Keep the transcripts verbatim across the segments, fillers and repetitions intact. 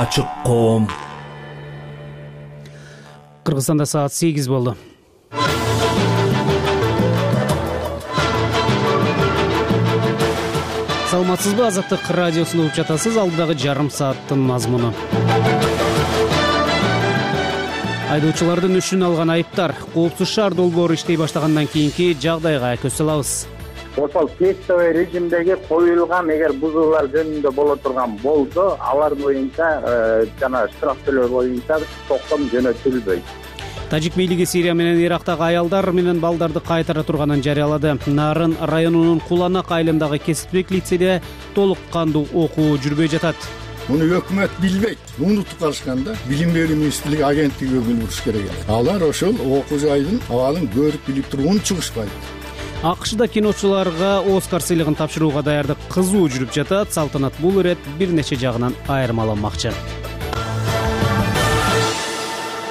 Ачык коом. Кыргызстанда саат сегиз болду. Саламатсызбы? Азаттык радиосун угуп жатасыз. Алдыдагы жарым сааттын мазмуну. Айдоочулардын өшүн алган айыптар. Коопсуз шаар долбоору иштей баштагандан кийинки жагдайга көз салабыз. Ошол тестовый режимдеги коюлган эгер бузуулар жөнүндө боло турган болсо, алар боюнча жана штраф төлөө боюнча токтом жөнөтүлбөйт. Тажик бийлиги Сирия менен Ирактагы аялдар менен балдарды кайтара турганын жарыялады. Нарын районунун Куланак айылындагы кесиптик лицейде толук кандуу окуу жүрбөй жатат. Муну өкмөт билбейт. Унутуп калышканда билим берүү министрлиги агенттиги билдириш керек. Алар ошол окуу жайдын абалын көрүп билип туруп унчугушпайт. АКШда киночуларга Оскар сыйлыгын тапшырууга даярдык кызуу жүрүп жатат. Салтанат бул ирет бир нече жагынан айырмаланмакчы.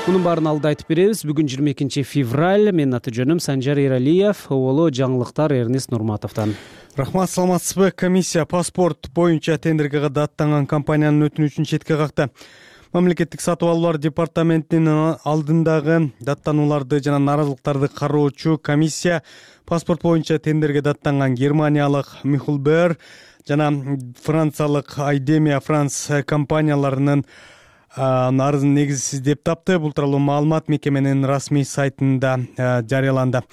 Мунун баарын алда айтып беребиз. Бүгүн жыйырма экинчи февраль. Менин аты жөнүм Санжар Эралиев. Оболу жаңылыктар Эрнис Нурматовдон. Рахмат, саламатсызбы? Комиссия паспорт боюнча тендерге даттанган компаниянын өтүнүчүн четке какты. Мамлекеттик сатып алуулар департаментинин алдындагы даттанууларды жана нааразылыктарды кароочу комиссия паспорт боюнча тендерге даттанган германиялык Михлбер жана франциялык Айдемия Франс компанияларынын арызын негизсиз деп тапты. Бул тууралуу маалымат мекеменин расмий сайтында жарыяланды.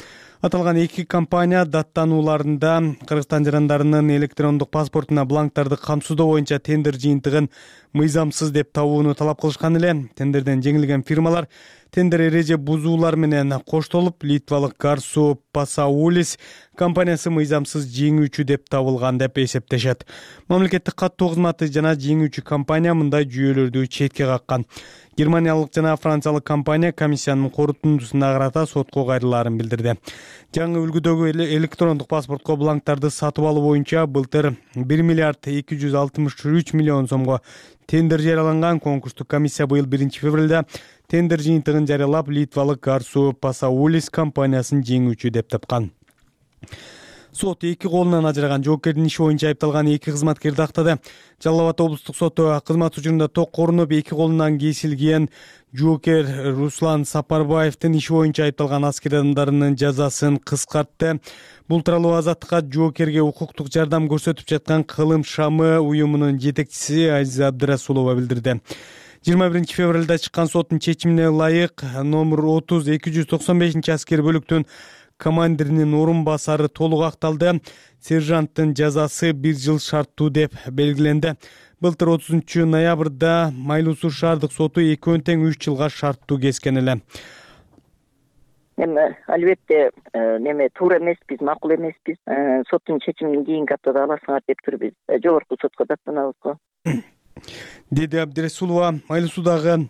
Аталган эки компания даттанууларында Кыргызстан жарандарынын электрондук паспортуна бланктарды камсыздоо боюнча тендер жыйынтыгын мыйзамсыз деп табууну талап кылышкан эле. Тендерден жеңилген фирмалар тендер эреже бузуулар менен коштолуп, литвалык Гарсу Пасаулис компаниясы мыйзамсыз жеңүүчү деп табылган деп эсептешет. Мамлекеттик каттоо кызматы жана жеңүүчү компания мындай жүйөлөрдү четке каккан. Германиялык жана франциялык компания комиссиянын корутундусуна карата сотко кайрылаарын билдирди. Жаңы үлгүдөгү электрондук паспортко бланктарды сатып алуу боюнча былтыр бир миллиард эки жүз алтымыш үч миллион сомго тендер жарыяланган. Конкурстук комиссия быйыл биринчи февралда тендер жыйынтыгын жарыялап, литвалык Гарсу Пасаулис компаниясын жеңүүчү деп тапкан. Сот эки колунан ажыраган жоокердин иши боюнча айыпталган эки кызматкерди актады. Жалал Абад облустук соту кызмат учурунда ток корунуп, эки колунан кесилген жоокер Руслан Сапарбаевдин иши боюнча айыпталган аскер адамдарынын жазасын кыскартты. Бул тууралуу Азаттыкка жоокерге укуктук жардам көрсөтүп жаткан Кылым Шамы уюмунун жетекчиси Азиза Абдырасулова билдирди. жыйырма биринчи февралда чыккан соттун чечимине ылайык номер отуз эки жүз токсон бешинчи аскер бөлүктүн командиринин орун басары толук акталды. Сержанттын жазасы бир жыл шарттуу деп белгиленди. Былтыр отузунчу ноябрда Майлуу Суу шаардык соту экөөнү тең үч жылга шарттуу кескен эле. Эми албетте неме туура эмеспиз, макул эмеспиз. Соттун чечимин кийинки аптада аласыңар деп туруп биз жогорку сотко даттанабыз го. Деди Абдырасулова. Майлуу Суудагы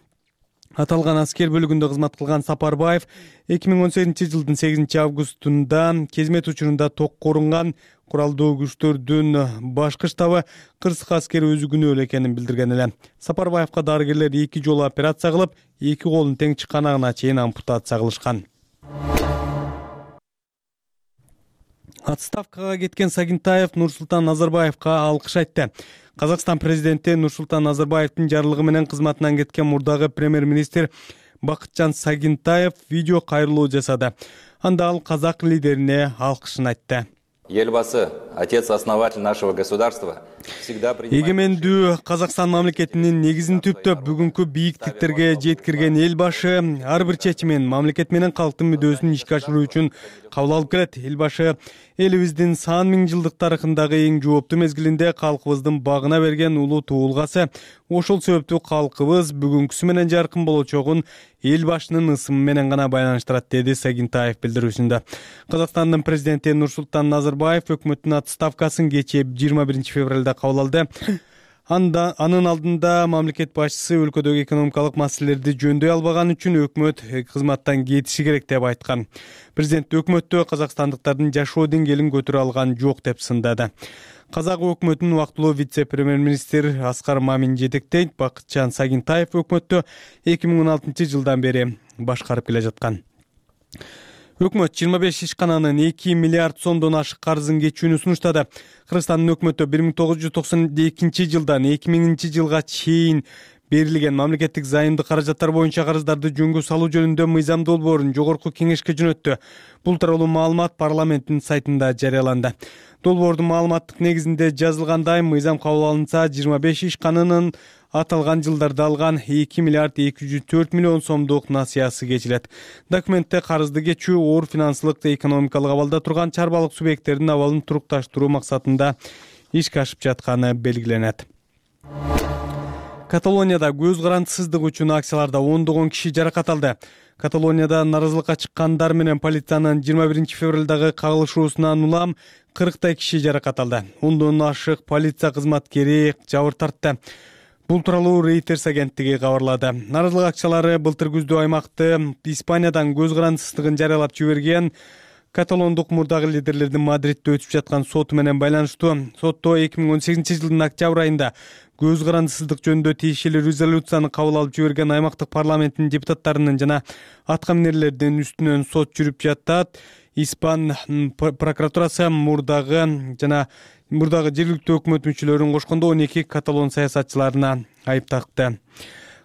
аталган аскер бөлүгүндө кызмат кылган Сапарбаев эки миң он сегизинчи жылдын сегизинчи августунда кезмет учурунда ток корунган куралдуу күчтөрдүн башкы штабы кырсык аскери өзү күнөөлүү экенин билдирген эле. Сапарбаевка дарыгерлер эки жолу операция кылып, эки колун тең чыканагына чейин ампутация кылышкан. Отставкага кеткен Сагинтаев Нурсултан Назарбаевка алкыш айтты. Казакстан президенти Нурсултан Назарбаевдин жарлыгы менен кызматынан кеткен мурдагы премьер-министр Бакытжан Сагинтаев видео кайрылуу жасады. Анда ал казак лидерине алкышын айтты. Елбасы, отец-основатель нашего государства, всегда принимает... Эгемендүү Казакстан мамлекетинин негизин түптөп бүгүнкү бийиктиктерге жеткирген эл башы ар бир чечимин мамлекет менен калктын мүдөөсүн ишке ашыруу үчүн кабыл алып келет. Эл башы элибиздин сан миң жылдык тарыхындагы эң жооптуу мезгилинде калкыбыздын багына берген улуу туулгасы. Ошол себептүү калкыбыз бүгүнкүсү менен жаркын болочогун эл башынын ысымы менен гана байланыштырат, деди Сагинтаев билдирүүсүндө. Казакстандын президенти Нурсултан Назарбаев өкмөттүн отставкасын кечээ жыйырма биринчи февралда кабыл алды. Анда анын алдында мамлекет башчысы өлкөдөгү экономикалык маселелерди жөндөй албаган үчүн өкмөт кызматтан кетиши керек деп айткан. Президент өкмөттө казакстандыктардын жашоо деңгээлин көтөрө алган жок деп сындады. Казак өкмөтүнүн убактылуу вице-премьер-министр Аскар Мамин жетектейт. Бакытжан Сагинтаев өкмөттө эки миң он алтынчы жылдан бери башкарып келе жаткан. Өкмөт жыйырма беш ишкананын эки миллиард сомдон ашык карызын кечүүнү сунуштады. Кыргызстандын өкмөтү бир миң тогуз жүз токсон экинчи жылдан эки миңинчи жылга чейин Берилген мамлекеттик займдык каражаттар боюнча карыздарды жөнгө салуу жөнүндө мыйзам долбоорун жогорку кеңешке жөнөттү. Бул тууралуу маалымат парламенттин сайтында жарыяланды. Долбоордун маалыматтык негизинде жазылгандай, мыйзам кабыл алынса, жыйырма беш ишканынын аталган жылдарда алган эки миллиард эки жүз төрт миллион сомдук насыясы кечилет. Документте карызды кечүү оор финансылык да экономикалык абалда турган чарбалык субъекттердин абалын турукташтыруу максатында ишке ашып жатканы белгиленет. Каталонияда көз карандысыздык үчүн акцияларда ондогон киши жаракат алды. Каталонияда наразылыкка чыккандар менен полициянын жыйырма биринчи февралдагы кагылышуусунан улам кырктай киши жаракат алды. Ондон ашык полиция кызматкери жабыр тартты. Бул тууралуу Reuters агенттиги кабарлады. Наразылык акчалары былтыр күздө аймакты Испаниядан көз карандысыздыгын жарыялап жиберген каталондук мурдагы лидерлердин Мадридде өтүп жаткан соту менен байланыштуу. Сотто эки миң он сегизинчи жылдын октябрь айында көз карандысыздык жөнүндө тиешелүү резолюцияны кабыл алып жиберген аймактык парламенттин депутаттарынын жана атка минерлердин үстүнөн сот жүрүп жатат. Испан прокуратурасы мурдагы жана мурдагы жергиликтүү өкмөт мүчөлөрүн кошкондо он эки каталон саясатчыларына айып такты.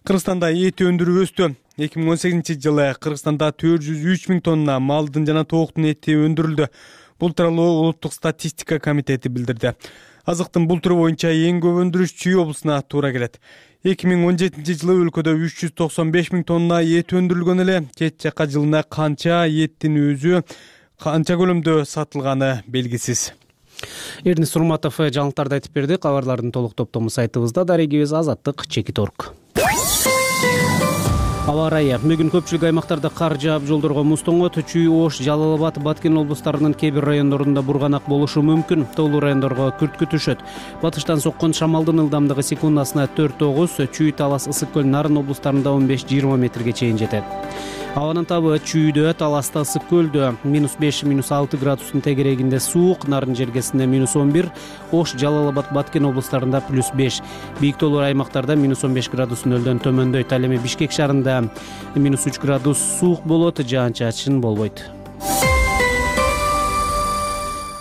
Кыргызстанда эт өндүрүү өстү. эки миң он сегизинчи жылы Кыргызстанда төрт жүз үч миң тонна малдын жана тооктун эти өндүрүлдү. Бул тууралуу Улуттук статистика комитети билдирди. Азыктын бул түрү боюнча эң көп өндүрүш Чүй облусуна туура келет. эки миң он жетинчи жылы өлкөдө үч жүз токсон беш миң тонна эт өндүрүлгөн эле. Чет жака жылына канча эттин өзү канча көлөмдө сатылганы белгисиз. Эрнис Урматов жаңылыктарды айтып берди. Кабарлардын толук топтому сайтыбызда. Дарегибиз Азаттык чекит точка орг. Аба ырайы. Бүгүн көпчүлүк аймактарда кар жаап, жолдорго муз тоңот. Чүй, Ош, Жалал Абад, Баткен облустарынын кээ бир райондорунда бурганак болушу мүмкүн. Тоолуу райондорго күрткү түшөт. Батыштан соккон шамалдын ылдамдыгы секундасына төрт тогуз, Чүй, Талас, Ысык көл, Нарын облустарында он беш жыйырма метрге чейин жетет. Абанын табы Чүйдө, Таласта, Ысык көлдө минус беш минус алты градустун тегерегинде суук, Нарын жергесинде минус он бир, Ош, Жалал Абад, Баткен облустарында плюс беш. Бийик тоолуу аймактарда минус он беш градус нөлдөн төмөндөйт. Ал эми Бишкек шаарында минус үч градус суук болот, жаан-чачын болбойт.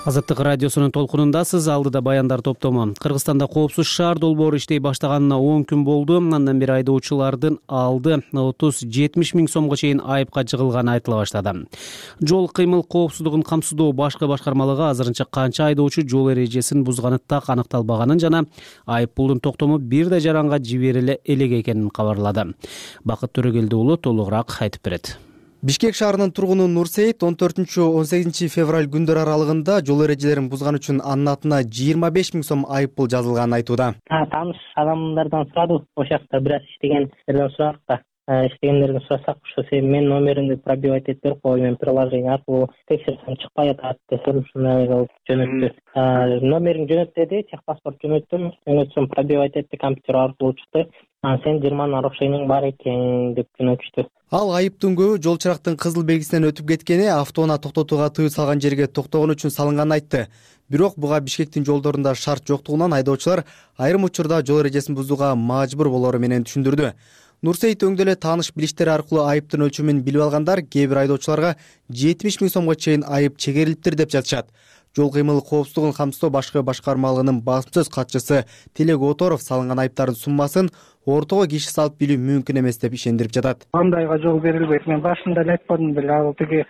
Азаттык радиосунун толкунундасыз. Алдыда баяндар топтому. Кыргызстанда коопсуз шаар долбоору иштей баштаганына он күн болду. Андан бери айдоочулардын алды отуз жетимиш миң сомго чейин айыпка жыгылганы айтыла баштады. Жол кыймыл коопсуздугун камсыздоо башкы башкармалыгы азырынча канча айдоочу жол эрежесин бузганы так аныкталбаганын жана айып пулдун токтому бир да жаранга жибериле элек экенин кабарлады. Бакыт Төрөгелди уулу толугураак айтып берет. Бишкек шаарынын тургуну Нурсейит он төртүнчү он сегизинчи февраль күндөр аралыгында жол эрежелерин бузган үчүн анын атына жыйырма беш миң сом айып пул жазылганын айтууда. Тааныш адамдардан сурадык, ошол жакта бир аз иштегендерден сурадык да. Иштегендерден сурасак, ошо сен менин номеримди пробивать этип берип кой, мен приложение аркылуу текшерсем чыкпай атат десем, ушундай кылып жөнөттү. Номериң жөнөт деди, техпаспорт жөнөттүм, жөнөтсөм пробивать этти, компьютер аркылуу чыкты. Сен жыйырма нарушениең бар экен деп жөнөтүштү. Ал айыптын көбү жол чырактын кызыл белгисинен өтүп кеткени, автоунаа токтотууга тыюу салган жерге токтогон үчүн салынганын айтты. Бирок буга Бишкектин жолдорунда шарт жоктугунан айдоочулар айрым учурда жол эрежесин бузууга мажбур болору менен түшүндүрдү. Нурсейит өңдө эле тааныш билиштери аркылуу айыптын өлчөмүн билип алгандар кээ бир айдоочуларга жетимиш миң сомго чейин айып чегерилиптир деп жатышат. Жол кыймыл коопсуздугун камсыздоо башкы башкармалыгынын басма сөз катчысы Телек Оторов салынган айыптардын суммасын ортого киши салып билүү мүмкүн эмес деп ишендирип жатат. Андайга жол берилбейт. Мен башында эле айтпадым беле, ал тиги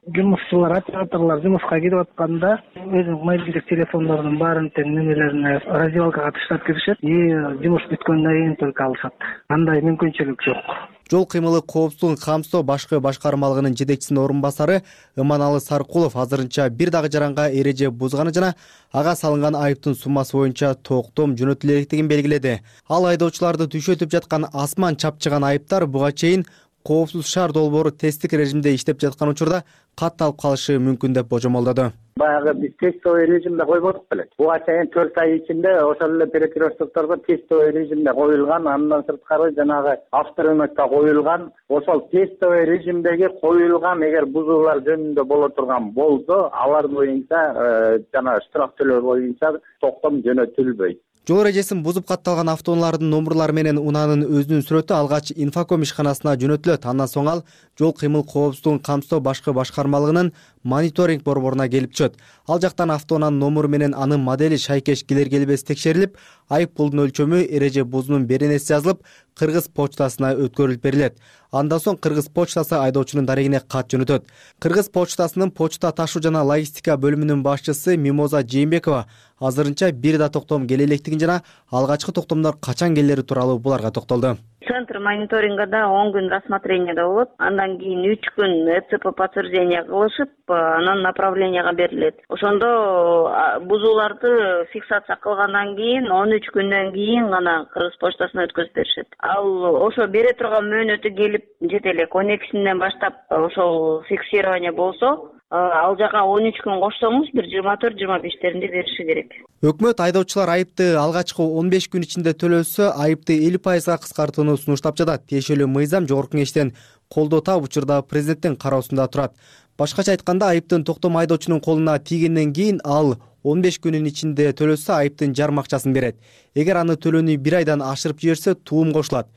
жумушчулар, операторлор жумушка кирип атканда өзүнүн мобилдик телефондорунун баарын тең немелерине раздевалкага таштап киришет и жумуш бүткөндөн кийин только алышат. Андай мүмкүнчүлүк жок. Жол кыймылы коопсуздугун камсыздоо башкы башкармалыгынын жетекчисинин орун басары Ыманалы Саркулов азырынча бир дагы жаранга эреже бузганы жана ага салынган айыптын суммасы боюнча токтом жөнөтүлө электигин белгиледи. Ал айдоочуларды түшөтүп жаткан асман чапчыган айыптар буга чейин коопсуз шаар долбоору тесттик режимде иштеп жаткан учурда катталып калышы мүмкүн деп божомолдоду. Баягы биз тестовый режимде койбодук беле. Буга чейин төрт ай ичинде ошол эле перекрестокторго тестовый режимде коюлган, андан сырткары жанагы авторынокко коюлган. Ошол тестовый режимдеги коюлган эгер бузуулар жөнүндө боло турган болсо, алар боюнча жана штраф төлөө боюнча токтом жөнөтүлбөйт. Жол эрежесин бузуп катталган автоунаалардын номурлары менен унаанын өзүнүн сүрөтү алгач Инфоком ишканасына жөнөтүлөт. Андан соң ал жол кыймыл коопсуздугун камсыздоо башкы башкармалыгынын мониторинг борборуна келип түшөт. Ал жактан автоунаанын номуру менен анын модели шайкеш келер-келбес текшерилип, айып пулдун өлчөмү, эреже бузуунун беренеси жазылып, Кыргыз почтасына өткөрүлүп берилет. Андан соң Кыргыз почтасы айдоочунун дарегине кат жөнөтөт. Кыргыз почтасынын почта ташуу жана логистика бөлүмүнүн башчысы Мимоза Жээнбекова азырынча бир да токтом келе электигин жана алгачкы токтомдор качан келери тууралуу буларга токтолду. Центр мониторингада он күн рассмотрениеда болот. Андан кийин үч күн ЭЦП подтверждение кылышып, анан направленияга берилет. Ошондо бузууларды фиксация кылгандан кийин он үч күндөн кийин гана Кыргыз почтасына өткөзүп беришет. Ал ошо бере турган мөөнөтү келип жете элек. он экисинен баштап ошол фиксирование болсо, ал жака он үч күн кошсоңуз бир жыйырма төрт жыйырма бештеринде бериши керек. Өкмөт айдоочулар айыпты алгачкы он беш күн ичинде төлөсө, айыпты элүү пайызга кыскартууну сунуштап жатат. Тиешелүү мыйзам жогорку кеңештен колдоо таап, учурда президенттин кароосунда турат. Башкача айтканда, айыптын токтому айдоочунун колуна тийгенден кийин ал он беш күнүн ичинде төлөсө, айыптын жарым акчасын берет. Эгер аны төлөөнү бир айдан ашырып жиберсе, туум кошулат.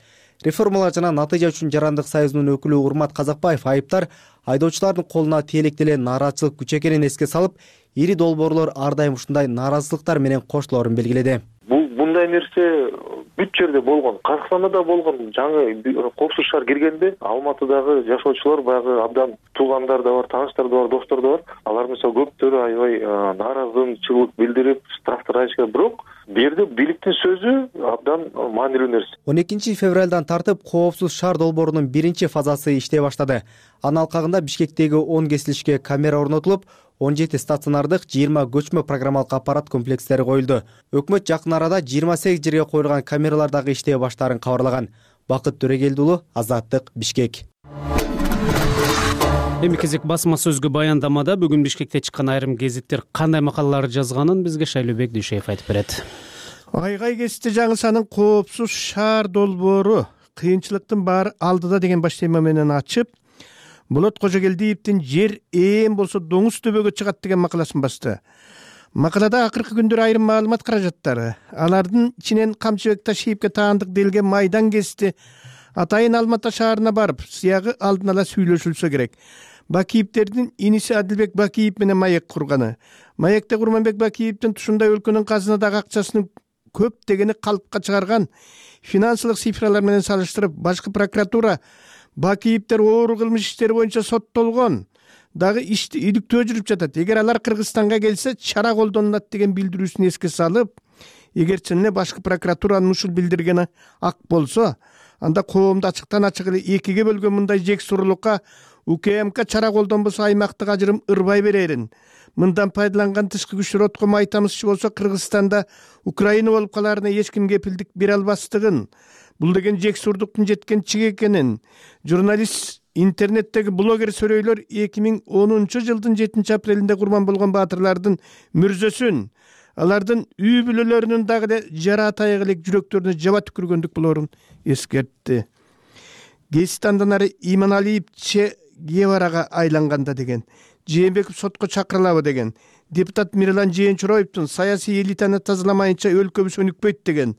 Реформалар жана натыйжа үчүн жарандык союзунун өкүлү Урмат Казакбаев айыптар айдоочулардын колуна тиелек деле нааразычылык күч экенин эске салып, ири долбоорлор ар дайым ушундай нааразычылыктар менен коштолорун белгиледи. Бул мындай нерсе бүт жерде болгон, Казакстанда да болгон. Жаңы коопсуз шаар киргенде Алматыдагы жашоочулар баягы абдан туугандар да бар, тааныштар да бар, достор да бар. Алар мисалы көптөрү аябай нааразычылык билдирип, штрафтар айтышкан. Бирок бу жерде бийликтин сөзү абдан маанилүү нерсе. он экинчи февралдан тартып коопсуз шаар долбоорунун биринчи фазасы иштей баштады. Анын алкагында Бишкектеги он кесилишке камера орнотулуп, он жети стационардык, жыйырма көчмө программалык аппарат комплекстери коюлду. Өкмөт жакын арада жыйырма сегиз жерге коюлган камералар дагы иштей баштаарын кабарлаган. Бакыт Төрегелди уулу, Азаттык, Бишкек. Эми кезек басма сөзгө баяндамада бүгүн Бишкекте чыккан айрым гезиттер кандай макалалар жазганын бизге Шайлообек Дүйшеев айтып берет. Айгай кести жаңысанын коопсуз шаар долбоору кыйынчылыктын баары алдыда деген баш тема менен ачып, Болот Кожогелдиевдин жер ээн болсо доңуз төбөгө чыгат деген макаласын басты. Макалада акыркы күндөр айрым маалымат каражаттары, алардын ичинен Камчыбек Ташиевге таандык делген майдан кести атайын Алматы шаарына барып, сыягы алдын ала сүйлөшүлсө керек. Бакиевдердин иниси Адилбек Бакиев менен маек курганы. Маекте Курманбек Бакиевдин тушундай өлкөнүн казынадагы акчасынын көп дегени калпка чыгарган финансылык цифралар менен салыштырып, башкы прокуратура Бакиевдер оор кылмыш иштери боюнча соттолгон, дагы ишти иликтөө жүрүп жатат. Эгер алар Кыргызстанга келсе, чара колдонулат деген билдирүүсүн эске салып, эгер чын эле башкы прокуратуранын ушул билдиргени ак болсо, анда коомду ачыктан ачык эле экиге бөлгөн мындай жексурлукка УКМК чара колдонбосо аймактык ажырым ырбай берерин. Мындан пайдаланган тышкы күчтөр отко май тамызчу болсо, Кыргызстанда Украина болуп калаарына эч ким кепилдик бере албастыгын, бул деген жексурдуктун жеткен чиги экенин журналист, интернеттеги блогер сөрөйлөр эки миң онунчу жылдын жетинчи апрелинде курман болгон баатырлардын мүрзөсүн, алардын үй бүлөлөрүнүн дагы эле жара атайык элек жүрөктөрүнө жаба түкүргөндүк болоорун эскертти. Гезит андан ары Иманалиев Че Геварага айланганда деген, Жээнбеков сотко чакырылабы деген, депутат Мирлан Жээнчуроевдун саясий элитаны тазаламайынча өлкөбүз өнүкпөйт деген,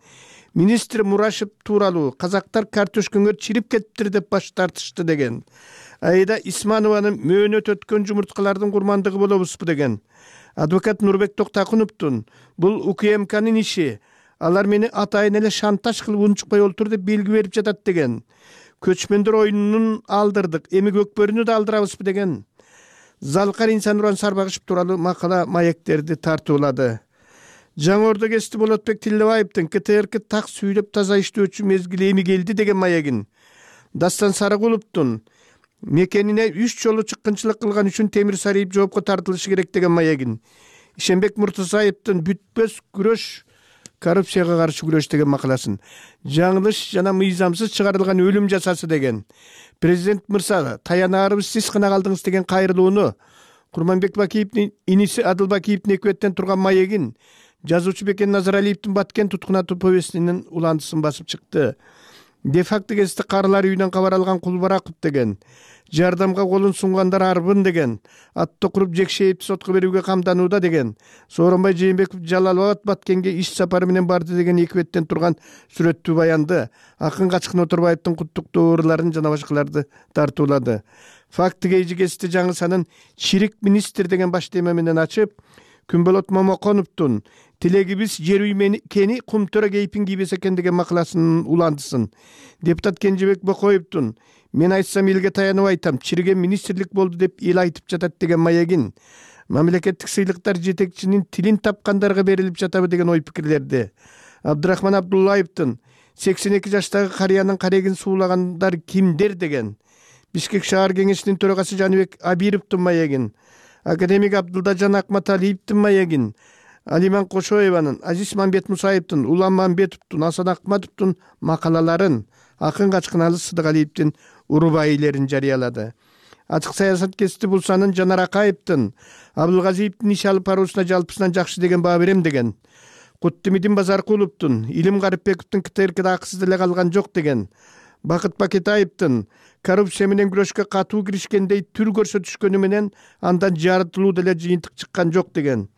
министр Мурашев тууралуу казактар картошкөңөр чирип кетиптир деп баш тартышты деген, Айда Исманованын мөөнөт өткөн жумурткалардын курмандыгы болобузбу деген, адвокат Нурбек Токтакуновдун бул УКМКнын иши, алар мени атайын эле шантаж кылып унчукпай олтур деп белги берип жатат деген, көчмөндөр оюнун алдырдык, эми көкбөрүнү да алдырабызбы деген, Залкар Инсануран Сарбагышев тууралуу макала маектерди тартуулады. Жаңы Ордо кести Болотбек Тилебаевдин КТРК так сүйлөп таза иштөөчү мезгили эми келди деген маегин, Дастан Сарыгуловдун мекенине үч жолу чыккынчылык кылган үчүн Темир Сариев жоопко тартылышы керек деген маегин, Ишенбек Муртазаевдин бүтпөс күрөш, коррупцияга каршы күрөш деген макаласын, жаңылыш жана мыйзамсыз чыгарылган өлүм жазасы деген, президент мырза таянаарыбыз сиз гана калдыңыз деген кайрылууну, Курманбек Бакиевдин иниси Адыл Бакиевдин экөттен турган маегин, жазуучу Бекен Назаралиевдин Баткен туткун атуу повестинин уландысын басып чыкты. де факто кесте карылар үйүнөн кабар алган Кулбараков деген, жардамга колун сунгандар арбын деген, атты куруп Жекшеевди сотко берүүгө камданууда деген, Сооронбай Жээнбеков Жалал Абад Баткенге иш сапары менен барды деген эки беттен турган сүрөттүү баянды, акын Качкын Отурбаевдин куттуктоо ырларын жана башкаларды тартуулады. Факты кейжи кесте жаңы санын чирик министр деген баш тема менен ачып, Күнболот Момоконовдун тилегибиз жер үй мекени Кумтөре кейпин кийбес экен деген макаласынын уландысын, депутат Кенжебек Бокоевдун мен айтсам элге таянып айтам, чириген министрлик болду деп эл айтып жатат деген маегин, мамлекеттик сыйлыктар жетекчинин тилин тапкандарга берилип жатабы деген ой пикирлерди, Абдырахман Абдуллаевдин сексен эки жаштагы карыянын карегин суулагандар кимдер деген, Бишкек шаар кеңешинин төрагасы Жаныбек Абировдун маегин, академик Абдылдажан Акматалиевдин маегин, Алиман Кошоеванын, Азиз Мамбет Мусаевдин, Улам Мамбетовдун, Асан Акматовдун макалаларын, акын Качкыналы Сыдыгалиевдин урубайилерин жарыялады. Ачык саясат кести Булсанын Жанар Акаевдин, Абылгазиевдин иш алып баруусуна жалпысынан жакшы деген баа берем деген, Куттимидин Базаркуловдун, Илим Гарипбековдун КТРКда акысыз деле калган жок деген, Бакыт Бакетаевдин коррупция менен күрөшкө катуу киришкендей түр көрсөтүшкөнү менен андан жарытылуу деле жыйынтык чыккан жок деген,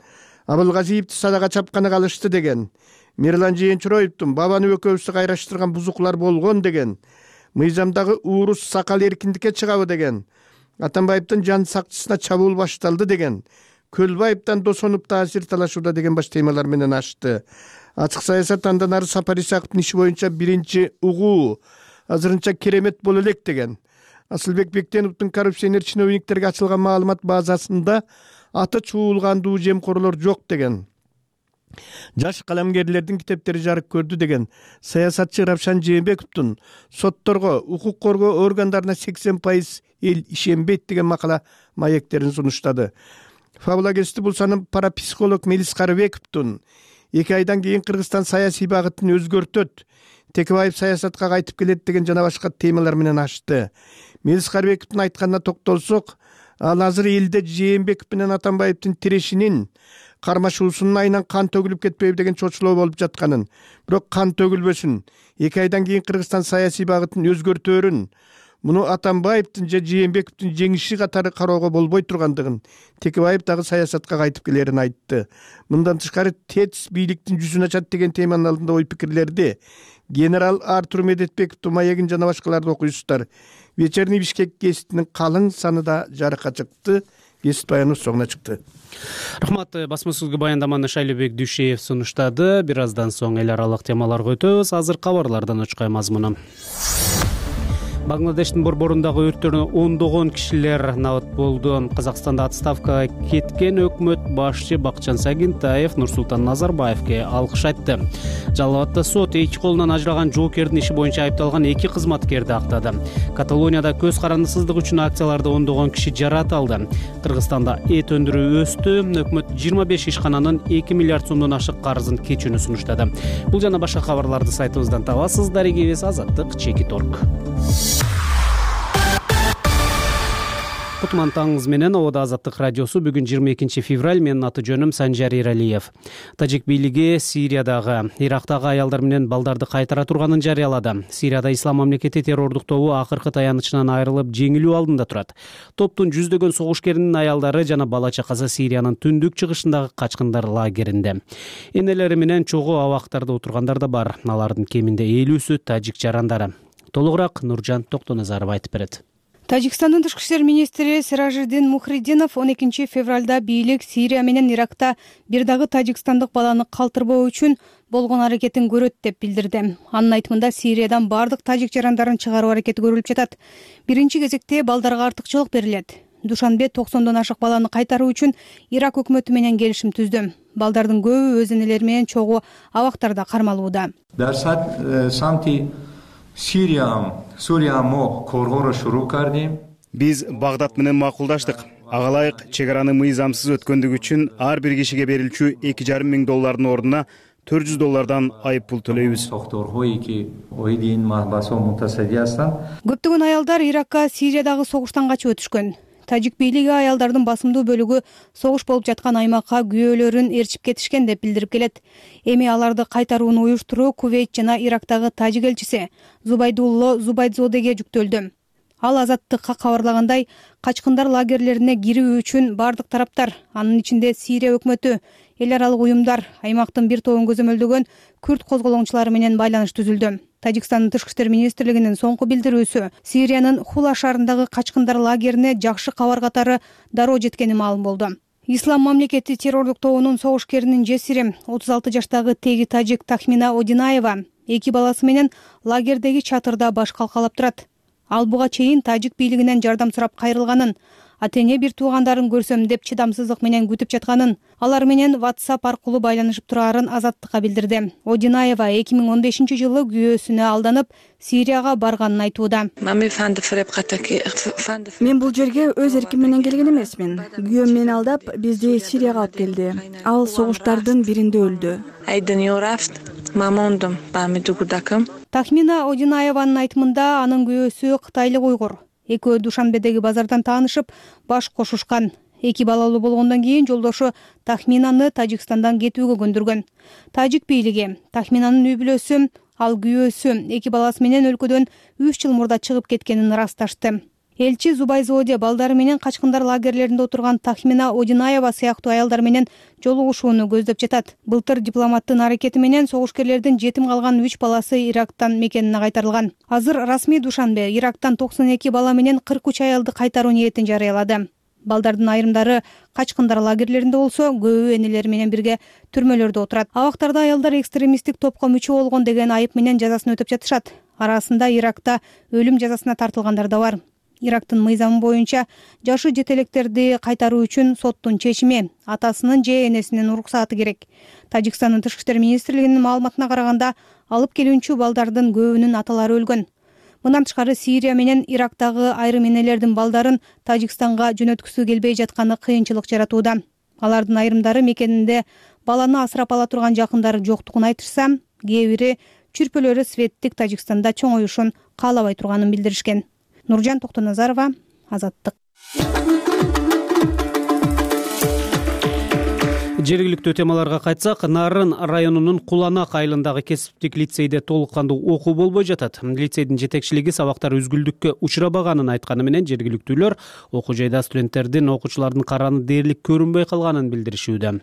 Абылгазиевди садага чапканы калышты деген, Мирлан Жээнчуроевдун бабаны экөөбүздү кайраштырган бузуклар болгон деген, мыйзамдагы уурус сакал эркиндикке чыгабы деген, Атамбаевдин жан сакчысына чабуул башталды деген, Көлбаевден досонуп таасир талашууда деген баш темалар менен ачты. Ачык саясат андан ары Сапар Исаковдун иши боюнча биринчи угуу азырынча керемет боло элек деген, Асылбек Бектеновдун коррупционер чиновниктерге ачылган маалымат базасында аты чуулгандуу жемкорлор жок деген, жаш каламгерлердин китептери жарык көрдү деген, саясатчы Равшан Жээнбековдун сотторго, укук коргоо органдарына сексен пайыз эл ишенбейт деген макала маектерин сунуштады. Фабула кести Булсанын парапсихолог Мелис Карыбековдун эки айдан кийин Кыргызстан саясий багытын өзгөртөт, Текебаев саясатка кайтып келет деген жана башка темалар менен ачты. Мелис Карыбековдун айтканына токтолсок, ал азыр элде Жээнбеков менен Атамбаевдин тирешинин кармашуусунун айынан кан төгүлүп кетпейби деген чочулоо болуп жатканын, бирок кан төгүлбөсүн, эки айдан кийин Кыргызстан саясий багытын өзгөртөөрүн, муну Атамбаевдин же Жээнбековдун жеңиши катары кароого болбой тургандыгын, Текебаев дагы саясатка кайтып келерин айтты. Мындан тышкары ТЭЦ бийликтин жүзүн ачат деген теманын алдында ой пикирлерди генерал Артур Медетбековдун маегин жана башкаларды окуйсуздар. Вечерний Бишкек гезитинин калың саны да жарыкка чыкты. Гезит баяны соңуна чыкты. Рахмат. Басма-сөзгө баяндаманы Шайлебек Дүйшеев сунуштады. Бир аздан соң эл аралык темаларга өтөбүз. Азыр кабарлардан очкой мазмуну. Бангладештин борборундагы өрттөрдөн ондогон кишилер набат болду. Казакстанда отставкага кеткен өкмөт башчы Бакытжан Сагинтаев Нурсултан Назарбаевге алкыш айтты. Жалал Абадда сот эки колунан ажыраган жоокердин иши боюнча айыпталган эки кызматкерди актады. Каталонияда көз карандысыздык үчүн акцияларды ондогон киши жараталды. Кыргызстанда эт өндүрүү өстү. Өкмөт жыйырма беш ишкананын эки миллиард сомдон ашык карызын кечүүнү сунуштады. Бул жана башка кабарларды сайтыбыздан табасыз. Дарегибиз Азаттык Чекит точка орг. Кутман таңыңыз менен Обода Азаттык радиосу. Бүгүн жыйырма экинчи февраль. Менин аты жөнүм Санжар Иралиев. Тажик бийлиги Сириядагы, Ирактагы аялдар менен балдарды кайтара турганын жарыялады. Сирияда Ислам мамлекети террордук тобу акыркы таянычынан айрылып жеңилүү алдында турат. Топтун жүздөгөн согушкеринин аялдары жана бала чакасы Сириянын түндүк чыгышындагы качкындар лагеринде. Энелери менен чогуу абактарда отургандар да бар. Алардын кеминде элүүсү тажик жарандары. Толугураак Нуржан Токтоназаров айтып берет. Тажикстандын тышкы иштер министри Сиражиддин Мухриддинов он экинчи февралда бийлик Сирия менен Иракта бир дагы тажикстандык баланы калтырбоо үчүн болгон аракетин көрөт деп билдирди. Анын айтымында Сириядан бардык тажик жарандарын чыгаруу аракети көрүлүп жатат. Биринчи кезекте балдарга артыкчылык берилет. Душанбе токсондон ашык баланы кайтаруу үчүн Ирак өкмөтү менен келишим түздү. Балдардын көбү өз энелери менен чогуу абактарда кармалууда. Биз Багдад менен макулдаштык. Ага ылайык чек араны мыйзамсыз өткөндүгү үчүн ар бир кишиге берилчү эки жарым миң доллардын ордуна төрт жүз доллардан айып пул төлөйбүз. Көптөгөн аялдар Иракка Сириядагы согуштан качып өтүшкөн. тажик бийлиги аялдардын басымдуу бөлүгү согуш болуп жаткан аймакка күйөөлөрүн ээрчип кетишкен деп билдирип келет. Эми аларды кайтарууну уюштуруу Кувейт жана Ирактагы тажик элчиси Зубайдулло Зубайдзодеге жүктөлдү. Ал Азаттыкка кабарлагандай, качкындар лагерлерине кирүү үчүн бардык тараптар, анын ичинде Сирия өкмөтү, эл аралык уюмдар, аймактын бир тобун көзөмөлдөгөн күрд козголоңчулары менен байланыш түзүлдү. Тажикстандын тышкы иштер министрлигинин соңку билдирүүсү Сириянын Хула шаарындагы качкындар лагерине жакшы кабар катары дароо жеткени маалым болду. Ислам мамлекети террорлук тобунун согушкеринин жесири отуз алты жаштагы теги тажик Тахмина Одинаева эки баласы менен лагердеги чатырда баш калкалап турат. Ал буга чейин тажик бийлигинен жардам сурап кайрылганын, ата-эне бир туугандарын көрсөм деп чыдамсыздык менен күтүп жатканын, алар менен WhatsApp аркылуу байланышып турарын Азаттыкка билдирди. Одинаева эки миң он бешинчи жылы күйөөсүнө алданып Сирияга барганын айтууда. Мен бул жерге өз эрким менен келген эмесмин. Күйөөм мени алдап, бизди Сирияга алып келди. Ал согуштардын биринде өлдү. Тахмина Одинаеванын айтымында анын күйөөсү кытайлык уйгур. Экөө Душанбедеги базардан таанышып, баш кошушкан. Эки балалуу болгондон кийин жолдошу Тахминаны Тажикстандан кетүүгө көндүргөн. Тажик бийлиги Тахминанын үй бүлөсү, ал күйөөсү эки баласы менен өлкөдөн үч жыл мурда чыгып кеткенин ырасташты. Элчи Зубайзоде балдары менен качкындар лагерлеринде отурган Тахмина Одинаева сыяктуу аялдар менен жолугушууну көздөп жатат. Былтыр дипломаттын аракети менен согушкерлердин жетим калган үч баласы Ирактан мекенине кайтарылган. Азыр расмий Душанбе Ирактан токсон эки бала менен кырк үч аялды кайтаруу ниетин жарыялады. Балдардын айрымдары качкындар лагерлеринде болсо, көбү энелери менен бирге түрмөлөрдө отурат. Абактарда аялдар экстремисттик топко мүчө болгон деген айып менен жазасын өтөп жатышат. Арасында Иракта өлүм жазасына тартылгандар да бар. Ирактын мыйзамы боюнча жашы жетелектерди кайтаруу үчүн соттун чечими, атасынын же энесинин уруксааты керек. Тажикстандын тышкы иштер министрлигинин маалыматына караганда, алып келүүчү балдардын көбүнүн аталары өлгөн. Мындан тышкары Сирия менен Ирактагы айрым энелердин балдарын Тажикстанга жөнөткүсү келбей жатканы кыйынчылык жаратууда. Алардын айрымдары мекенинде баланы асырап ала турган жакындары жоктугун айтышса, кээ бири чүрпөлөрү светтик Тажикстанда чоңоюшун каалабай турганын билдиришкен. Нуржан Токтоназарова, Азаттык. Жергиликтүү темаларга кайтсак, Нарын районунун Куланак айылындагы кесиптик лицейде толук кандуу окуу болбой жатат. Лицейдин жетекчилиги сабактар үзгүлдүккө учурабаганын айтканы менен жергиликтүүлөр окуу жайда студенттердин, окуучулардын караны дээрлик көрүнбөй калганын билдиришүүдө.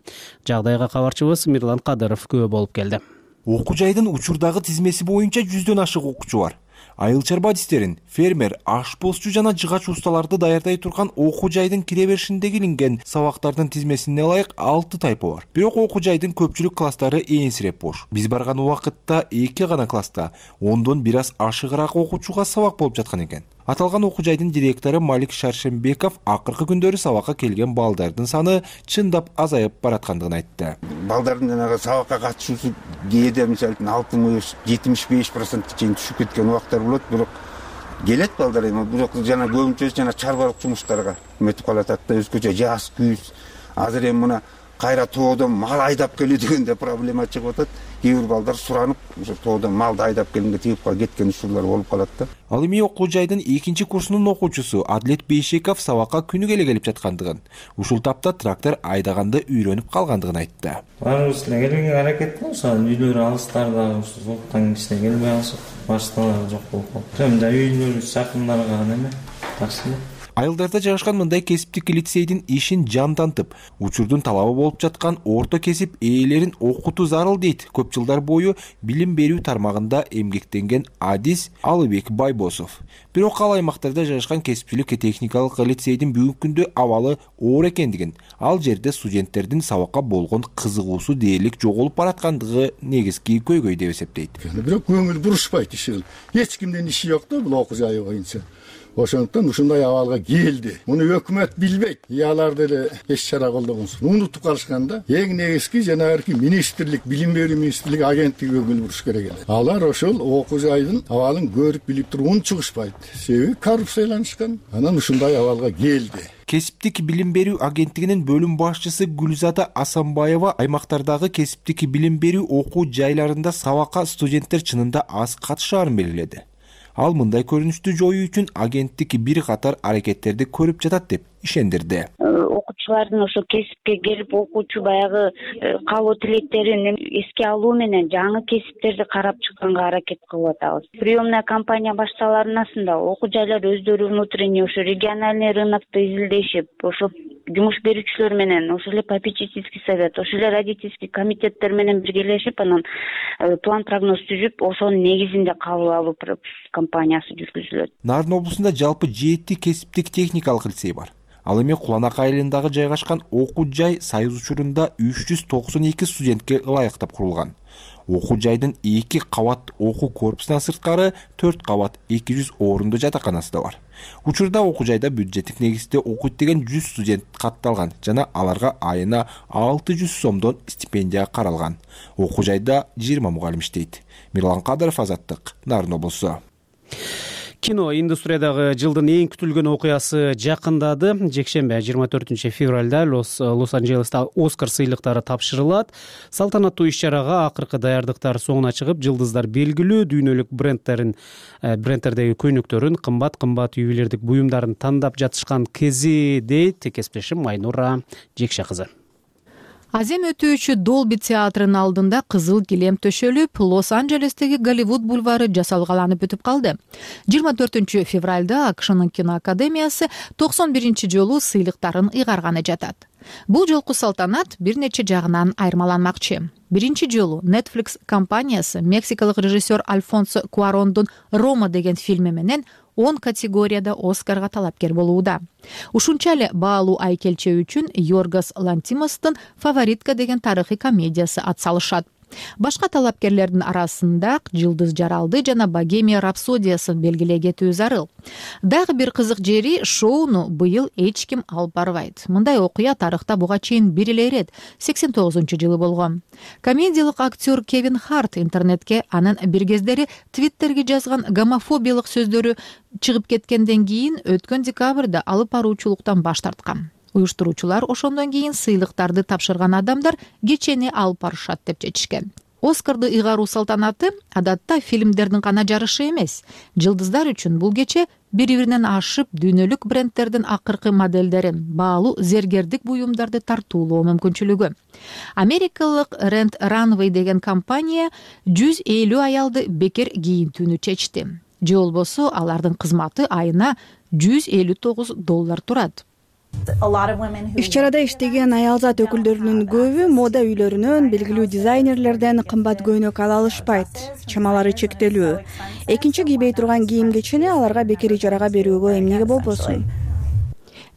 Жагдайга кабарчыбыз Мирлан Кадыров күбө болуп келди. Окуу жайдын учурдагы тизмеси боюнча жүздөн ашык окуучу бар. Айыл чарба адистерин, фермер, ашпозчу жана жыгач усталарды даярдай турган окуу жайдын кире беришиндеги илинген сабактардын тизмесине ылайык алты тайпы бар. Бирок окуу жайдын көпчүлүк класстары ээнсиреп бош. Биз барган убакытта эки гана класста ондон бир аз ашыгыраак окуучуга сабак болуп жаткан экен. Аталган окуу жайдын директору Малик Шаршембеков акыркы күндөрү сабакка келген балдардын саны чындап азайып бараткандыгын айтты. Балдардын жанагы сабакка катышуусу кээде мисалы үчүн алтымыш жетимиш беш процентке чейин түшүп кеткен убактар болот, бирок келет балдар эми, бирок жана көбүнчөсү жана чарбалык жумуштарга өтүп калатат да, өзгөчө жаз, күз. Азыр эми мына кайра тоодон мал айдап келүү дегенде проблема чыгып атат. Кээ бир балдар суранып, ошо тоодон малды айдап келгенге тигип калып кеткен учурлар болуп калат да. Ал эми окуу жайдын экинчи курсунун окуучусу Адлет Бейшеков сабакка күнүгө эле келип жаткандыгын, ушул тапта трактор айдаганды үйрөнүп калгандыгын айтты. Баарыбыз эле келүүгө аракет кылабыз, үйлөр алыстарда, ушул зоктан кичине келбей алсак, башталар жок болуп калат. Жөнүндө үйлөрүбүз жакындарга эме, таксы. Айылдарда жайгашкан мындай кесиптик лицейдин ишин жандантып, учурдун талабы болуп жаткан орто кесип ээлерин окутуу зарыл дейт көп жылдар бою билим берүү тармагында эмгектенген адис Алыбек Байбосов. Бирок ал аймактарда жайгашкан кесипчилик техникалык лицейдин бүгүнкү күндө абалы оор экендигин, ал жерде студенттердин сабакка болгон кызыгуусу дээрлик жоголуп бараткандыгы негизги көйгөй деп эсептейт. Бирок көңүл бурушпайт иши. Эч кимдин иши жок да бул окуу жайы боюнча. Ошондуктан ушундай абалга келди. Муну өкмөт билбейт. Алар деле эч чара колдогонсуз. Унутуп калышканда, эң негизги жанагы министрлик, билим берүү министрлиги агенттиги көңүл буруш керек эле. Алар ошол окуу жайдын абалын көрүп билип туруп унчугушпайт. Себеби коррупцияланышкан. Анан ушундай абалга келди. Кесиптик билим берүү агенттигинин бөлүм башчысы Гүлзада Асанбаева аймактардагы кесиптик билим берүү окуу жайларында сабакка студенттер чынында аз катышаарын белгиледи. Ал мындай көрүнүштү жоюу үчүн агенттик бир катар аракеттерди көрүп жатат деп ишендирди. Окуучулардын ошо кесипке келип окуучу баягы каалоо тилектерин эске алуу менен жаңы кесиптерди карап чыкканга аракет кылып атабыз. Приемная кампания башталарынасында окуу жайлар өздөрү внутренний ошо региональный рынокто изилдешип, ошо жумуш берүүчүлөр менен, ошо эле попечительский совет, ошо эле родительский комитеттер менен биргелешип, анан план прогноз түзүп, ошонун негизинде кабыл алуу кампаниясы жүргүзүлөт. Нарын облусунда жалпы жети кесиптик техникалык лицей бар. Ал эми Куланак айылындагы жайгашкан окуу жай Союз учурунда үч жүз токсон эки студентке ылайыктап курулган. Окуу жайдын эки кабат окуу корпусунан сырткары төрт кабат эки жүз орунду жатаканасы да бар. Учурда окуу жайда бюджеттик негизде окуйт деген жүз студент катталган жана аларга айына алты жүз сомдон стипендия каралган. Окуу жайда жыйырма мугалим иштейт. Мирлан Кадыров, Азаттык, Нарын облусу. Кино индустриядагы жылдын эң күтүлгөн окуясы жакындады. Жекшембе жыйырма төртүнчү февралда Лос-Анджелесте Оскар сыйлыктары тапшырылат. Салтанаттуу иш-чарага акыркы даярдыктар соңуна чыгып, жылдыздар белгилүү дүйнөлүк брендтерин брендтердеги көйнөктөрүн, кымбат-кымбат ювелирдик буюмдарын тандап жатышкан кези, дейт кесиптешим Айнура Жекше кызы. Азем өтүүчү Долби театрынын алдында кызыл килем төшөлүп, Лос-Анджелестеги Голливуд бульвары жасалгаланып бүтүп калды. жыйырма төртүнчү февралда АКШнын киноакадемиясы токсон биринчи жолу сыйлыктарын ыйгарганы жатат. Бул жолку салтанат бир нече жагынан айырмаланмакчы. Биринчи жолу Netflix компаниясы мексикалык режиссер Альфонсо Куарондун «Рома» деген фильми менен он категорияда Оскарга талапкер болууда. Ушунча эле баалуу айкелче үчүн Йоргос Лантимостун «Фаворитка» деген тарыхый комедиясы атсалышат. Башка талапкерлердин арасында Жылдыз жаралды жана Богемия рапсодиясын белгилей кетүү зарыл. Дагы бир кызык жери, шоуну быйыл эч ким алып барбайт. Мындай окуя тарыхта буга чейин бир эле ирет сексен тогузунчу жылы болгон. Комедиялык актер Кевин Харт интернетке анын бир кездери Твиттерге жазган гомофобиялык сөздөрү чыгып кеткенден кийин өткөн декабрда алып баруучулуктан баш тарткан. Уюштуруучулар ошондон кийин сыйлыктарды тапшырган адамдар кечени алып барышат деп чечишкен. Оскарды ыйгаруу салтанаты адатта фильмдердин гана жарышы эмес. Жылдыздар үчүн бул кече бири-биринен ашып дүйнөлүк брендтердин акыркы модельдерин, баалуу зергердик буюмдарды тартуулоо мүмкүнчүлүгү. Америкалык Rent Runway деген компания жүз элүү аялды бекер кийинтүүнү чечти. Же болбосо алардын кызматы айына жүз элүү тогуз доллар турат. Иш-чарада иштеген аялзат өкүлдөрүнүн көбү мода үйлөрүнөн, белгилүү дизайнерлерден кымбат көйнөк ала алышпайт. Чамалары чектелүү. Экинчи кийбей турган кийим-кечини аларга бекер ижарага берүүгө эмнеге болбосун?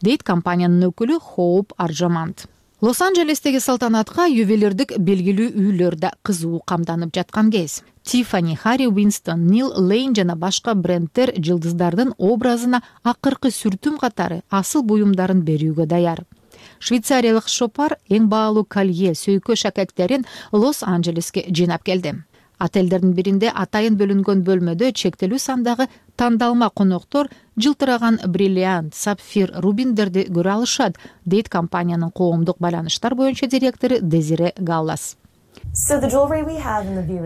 Дейт компаниянын өкүлү Хоуп Аржамант. Лос-Анджелестеги салтанатка ювелирдик белгилүү үйлөр да кызуу камданып жаткан кез. Тиффани, Харри Уинстон, Нил Лейн жана башка брендтер жылдыздардын образына акыркы сүртүм катары асыл буюмдарын берүүгө даяр. Швейцариялык шопар эң баалуу колье, сөйкө шакектерин Лос-Анджелеске жыйнап келди. Отелдердин биринде атайын бөлүнгөн бөлмөдө чектелүү сандагы тандалма коноктор жылтыраган бриллиант, сапфир, рубиндерди көрө алышат, дейт компаниянын коомдук байланыштар боюнча директору Дезире Галлас.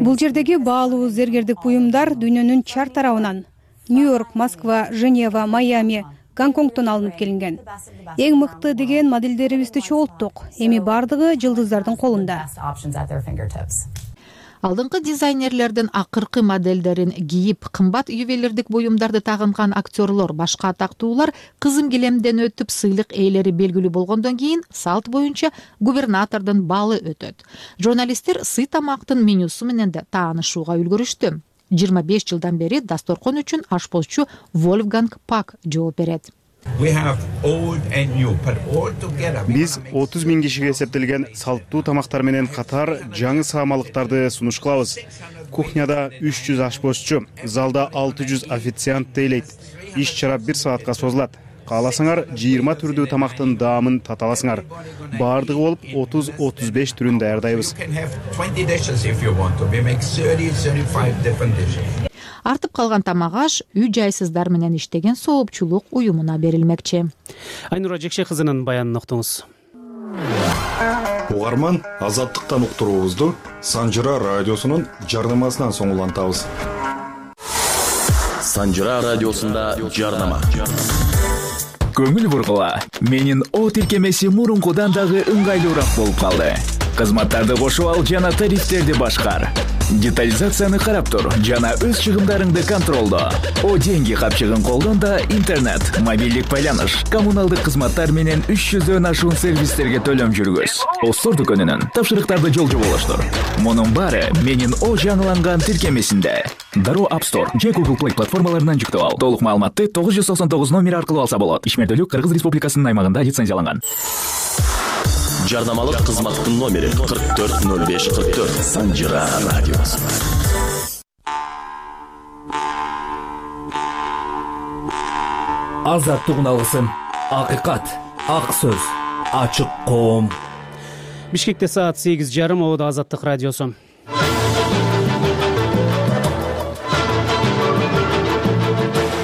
Бул жердеги баалуу зергердик буюмдар дүйнөнүн чар тарабынан Нью-Йорк, Москва, Женева, Майами, Гонконгтон алынып келинген. Эң мыкты деген модельдерибизди чогулттук. Эми бардыгы жылдыздардын колунда. Алдыңкы дизайнерлердин акыркы модельдерин кийип, кымбат ювелирдик буюмдарды тагынган актерлор, башка атактуулар кызым килемден өтүп сыйлык ээлери белгилүү болгондон кийин салт боюнча губернатордун балы өтөт. Журналисттер сый тамактын менюсу менен да таанышууга үлгүрүштү. жыйырма беш жылдан бери дасторкон үчүн ашпозчу Вольфганг Пак жооп берет. Биз отуз миң кишиге эсептелген салттуу тамактар менен катар жаңы саамалыктарды сунуш кылабыз. Кухняда үч жүз ашпозчу, залда алты жүз официант тейлейт. Иш-чара бир саатка созулат. Кааласаңар жыйырма түрдүү тамактын даамын тата аласыңар. Баардыгы болуп отуз отуз беш түрүн даярдайбыз. Артып калган тамак аш үй жайсыздар менен иштеген соопчулук уюмуна берилмекчи. Айнура Жекше кызынын баянын уктуңуз. Угарман, Азаттыктан уктуруубузду Санжыра радиосунун жарнамасынан соң улантабыз. Санжыра радиосунда жарнама. көңүл бургула. Менин О тиркемеси мурункудан дагы ыңгайлуураак болуп калды. Кызматтарды кошуп ал жана тарифтерди башкар. Детализацияны карап тур жана өз чыгымдарыңды контролдо. О деньги капчыгын колдон да интернет, мобилдик байланыш, коммуналдык кызматтар менен үч жүздөн ашуун сервистерге төлөм жүргүз. Остор дүкөнүнүн тапшырыктарды жолжо болуштур. Мунун баары менин О жаңыланган тиркемесинде. Дароо App Store же Google Play платформаларынан жүктөп ал. Толук маалыматты тогуз жүз токсон тогуз номери аркылуу алса болот. Ишмердүүлүк Кыргыз Республикасынын аймагында лицензияланган. Жарнамалык кызматтын номери кырк төрт ноль беш кырк төрт. Санжира радиосу. Азаттык алгысын. Акыйкат, ак сөз, ачык коом. Бишкекте саат сегиз жарым. Ода Азаттык радиосу.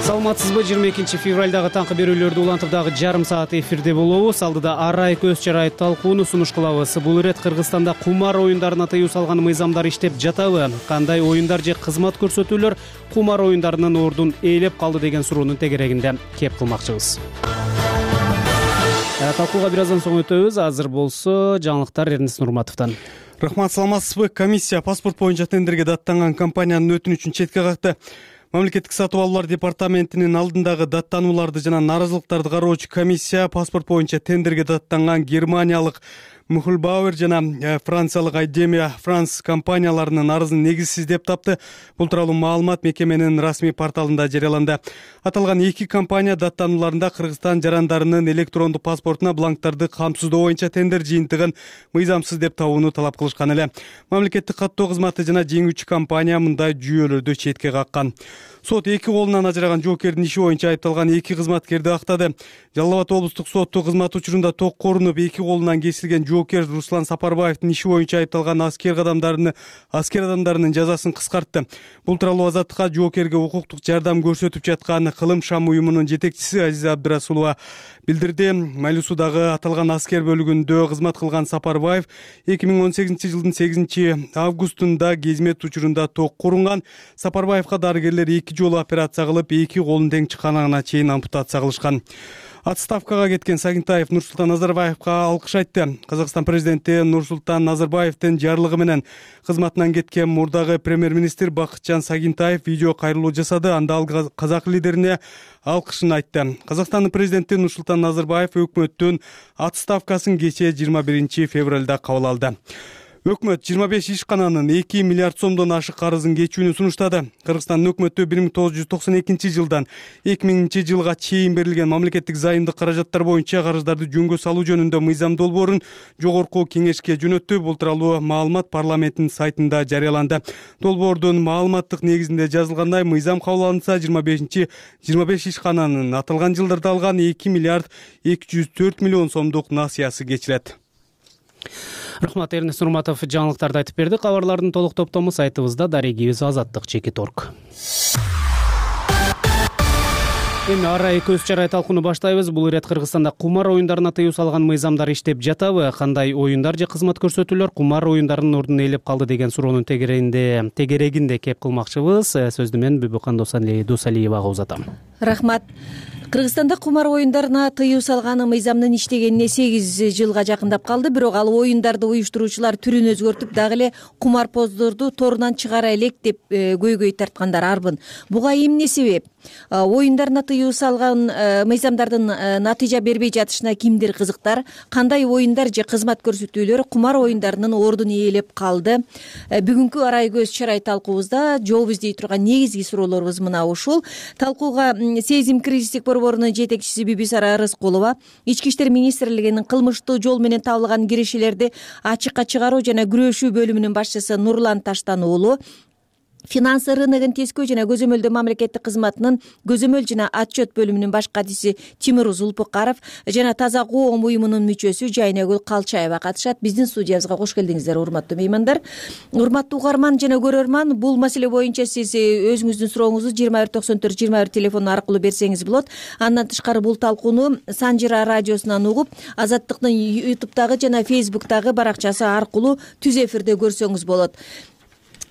Саламатсызбы? жыйырма экинчи февралдагы таңкы берүүлөрдү улантып дагы жарым саат эфирде болобуз. Алдыда арай көз чарай талкууну сунуш кылабыз. Бул ирет Кыргызстанда кумар оюндарына тыюу салган мыйзамдар иштеп жатабы? Кандай оюндар же кызмат көрсөтүүлөр кумар оюндарынын ордун ээлеп калды деген суроонун тегерегинде кеп кылмакчыбыз. Талкууга бир аздан соң өтөбүз. Азыр болсо жаңылыктар Эрнест Нурматовдон. Рахмат, саламатсызбы? Комиссия паспорт боюнча тендерге даттанган компаниянын өтүнүчүн четке какты. Мамлекеттик сатып алуулар департаментинин алдындагы даттанууларды жана нааразылыктарды кароочу комиссия паспорт боюнча тендерге даттанган германиялык Мухлбауэр жана франциялык Айдемия Франс компанияларынын арызын негизсиз деп тапты. Бул тууралуу маалымат мекеменин расмий порталында жарыяланды. Аталган эки компания даттанууларында Кыргызстан жарандарынын электрондук паспортуна бланктарды камсыздоо боюнча тендер жыйынтыгын мыйзамсыз деп табууну талап кылышкан эле. Мамлекеттик каттоо кызматы жана жеңүүчү компания мындай жүйөлөрдү четке каккан. Сот эки колунан ажыраган жоокердин иши боюнча айыпталган эки кызматкерди актады. Жалал Абад облустук соту кызмат учурунда ток корунуп эки колунан кесилген жоокер Руслан Сапарбаевдин иши боюнча айыпталган аскер адамдарынын аскер адамдарынын жазасын кыскартты. Бул тууралуу Азаттыкка жоокерге укуктук жардам көрсөтүп жаткан Кылым Шам уюмунун жетекчиси Азиза Абдырасулова билдирди. Майлуусудагы аталган аскер бөлүгүндө кызмат кылган Сапарбаев эки миң он сегизинчи жылдын сегизинчи августунда кызмет учурунда ток корунган. Сапарбаевга дарыгерлер эки жолу операция кылып, эки колун тең чыкканына чейин ампутация кылышкан. Отставкага кеткен Сагинтаев Нурсултан Назарбаевга алкыш айтты. Казакстан президенти Нурсултан Назарбаевдин жарлыгы менен кызматынан кеткен мурдагы премьер-министр Бакытжан Сагинтаев видео кайрылуу жасады. Анда ал казак лидерине алкышын айтты. Казакстандын президенти Нурсултан Назарбаев өкмөттүн отставкасын кечээ жыйырма биринчи февралда кабыл алды. Өкмөт жыйырма беш ишкананын эки миллиард сомдон ашык карызын кечүүнү сунуштады. Кыргызстандын өкмөтү бир миң тогуз жүз токсон экинчи жылдан эки миңинчи жылга чейин берилген мамлекеттик зайымдык каражаттар боюнча карыздарды жөнгө салуу жөнүндө мыйзам долбоорун жогорку кеңешке жөнөттү. Бул тууралуу маалымат парламенттин сайтында жарыяланды. Долбоордун маалыматтык негизинде жазылгандай, мыйзам кабыл алынса жыйырма бешинчи жыйырма беш ишкананын аталган жылдарда алган эки миллиард эки жүз төрт миллион сомдук насыясы кечирет. Рахмат, Эрнест Нурматов жаңылыктарды айтып берди. Кабарлардын толук топтому сайтыбызда дарегибиз азаттык чеки торг. Эми арай көз чарай талкууну баштайбыз. Бул ирет Кыргызстанда кумар оюндарына тыюу салган мыйзамдар иштеп жатабы? Кандай оюндар же кызмат көрсөтүүлөр кумар оюндарынын ордун ээлеп калды деген суроонун тегерегинде тегерегинде кеп кылмакчыбыз. Сөздү мен Бүбүкан Досалиевага узатам. Рахмат. Кыргызстанда кумар оюндарына тыюу салган мыйзамдын иштегенине сегиз жылга жакындап калды. Бирок ал оюндарды уюштуруучулар түрүн өзгөртүп, дагы эле кумарпоздорду торунан чыгара элек деп көйгөй тарткандар арбын. Буга эмне себеп? Оюндарына тыюу салган мыйзамдардын натыйжа бербей жатышына кимдир кызыктар? Кандай оюндар же кызмат көрсөтүүлөр кумар оюндарынын ордун ээлеп калды? Бүгүнкү арай көз чарай талкуубузда жооп издей турган негизги суроолорубуз мына ушул. Талкууга Сезим кризистик борборунун жетекчиси Бибисара Арыскулова, Ички иштер министрлигинин кылмыштуу жол менен табылган киришелерди ачыкка чыгаруу жана күрөшүү бөлүмүнүн башчысы Нурлан Таштан уулу, Финансы рыногун тескөө жана көзөмөлдөө мамлекеттик кызматынын көзөмөл жана отчет бөлүмүнүн баш катчысы Тимур Зулпукаров жана Таза коом уюмунун мүчөсү Жайнагүл Калчаева катышат. Биздин студиябызга кош келдиңиздер, урматтуу меймандар. Урматтуу угарман жана көрөрман, бул маселе боюнча сиз өзүңүздүн сурооңузду жыйырма бир токсон төрт жыйырма бир телефону аркылуу берсеңиз болот. Андан тышкары бул талкууну Санжира радиосунан угуп, Азаттыктын ютубтагы жана фейсбуктагы баракчасы аркылуу түз эфирде көрсөңүз болот.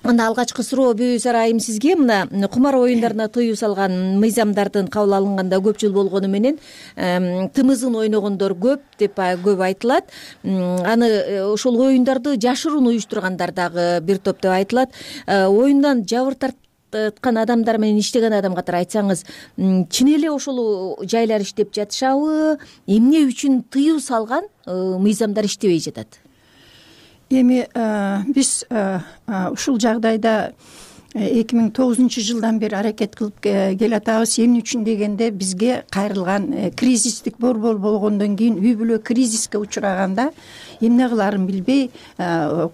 анда алгачкы суроо Бүбүсара айым сизге. Мына кумар оюндарына тыюу салган мыйзамдардын кабыл алынганда көп жыл болгону менен тымызын ойногондор көп деп көп айтылат. Аны ошол оюндарды жашыруун уюштургандар дагы бир топ деп айтылат. Оюндан жабыр тарткан адамдар менен иштеген адам катары айтсаңыз, чын эле ошол жайлар иштеп жатышабы? Эмне үчүн тыюу салган мыйзамдар иштебей жатат? Эми биз ушул жагдайда эки миң тогузунчу жылдан бери аракет кылып келатабыз. Эмне үчүн дегенде, бизге кайрылган кризистик борбор болгондон кийин үй бүлө кризиске учураганда эмне кылаарын билбей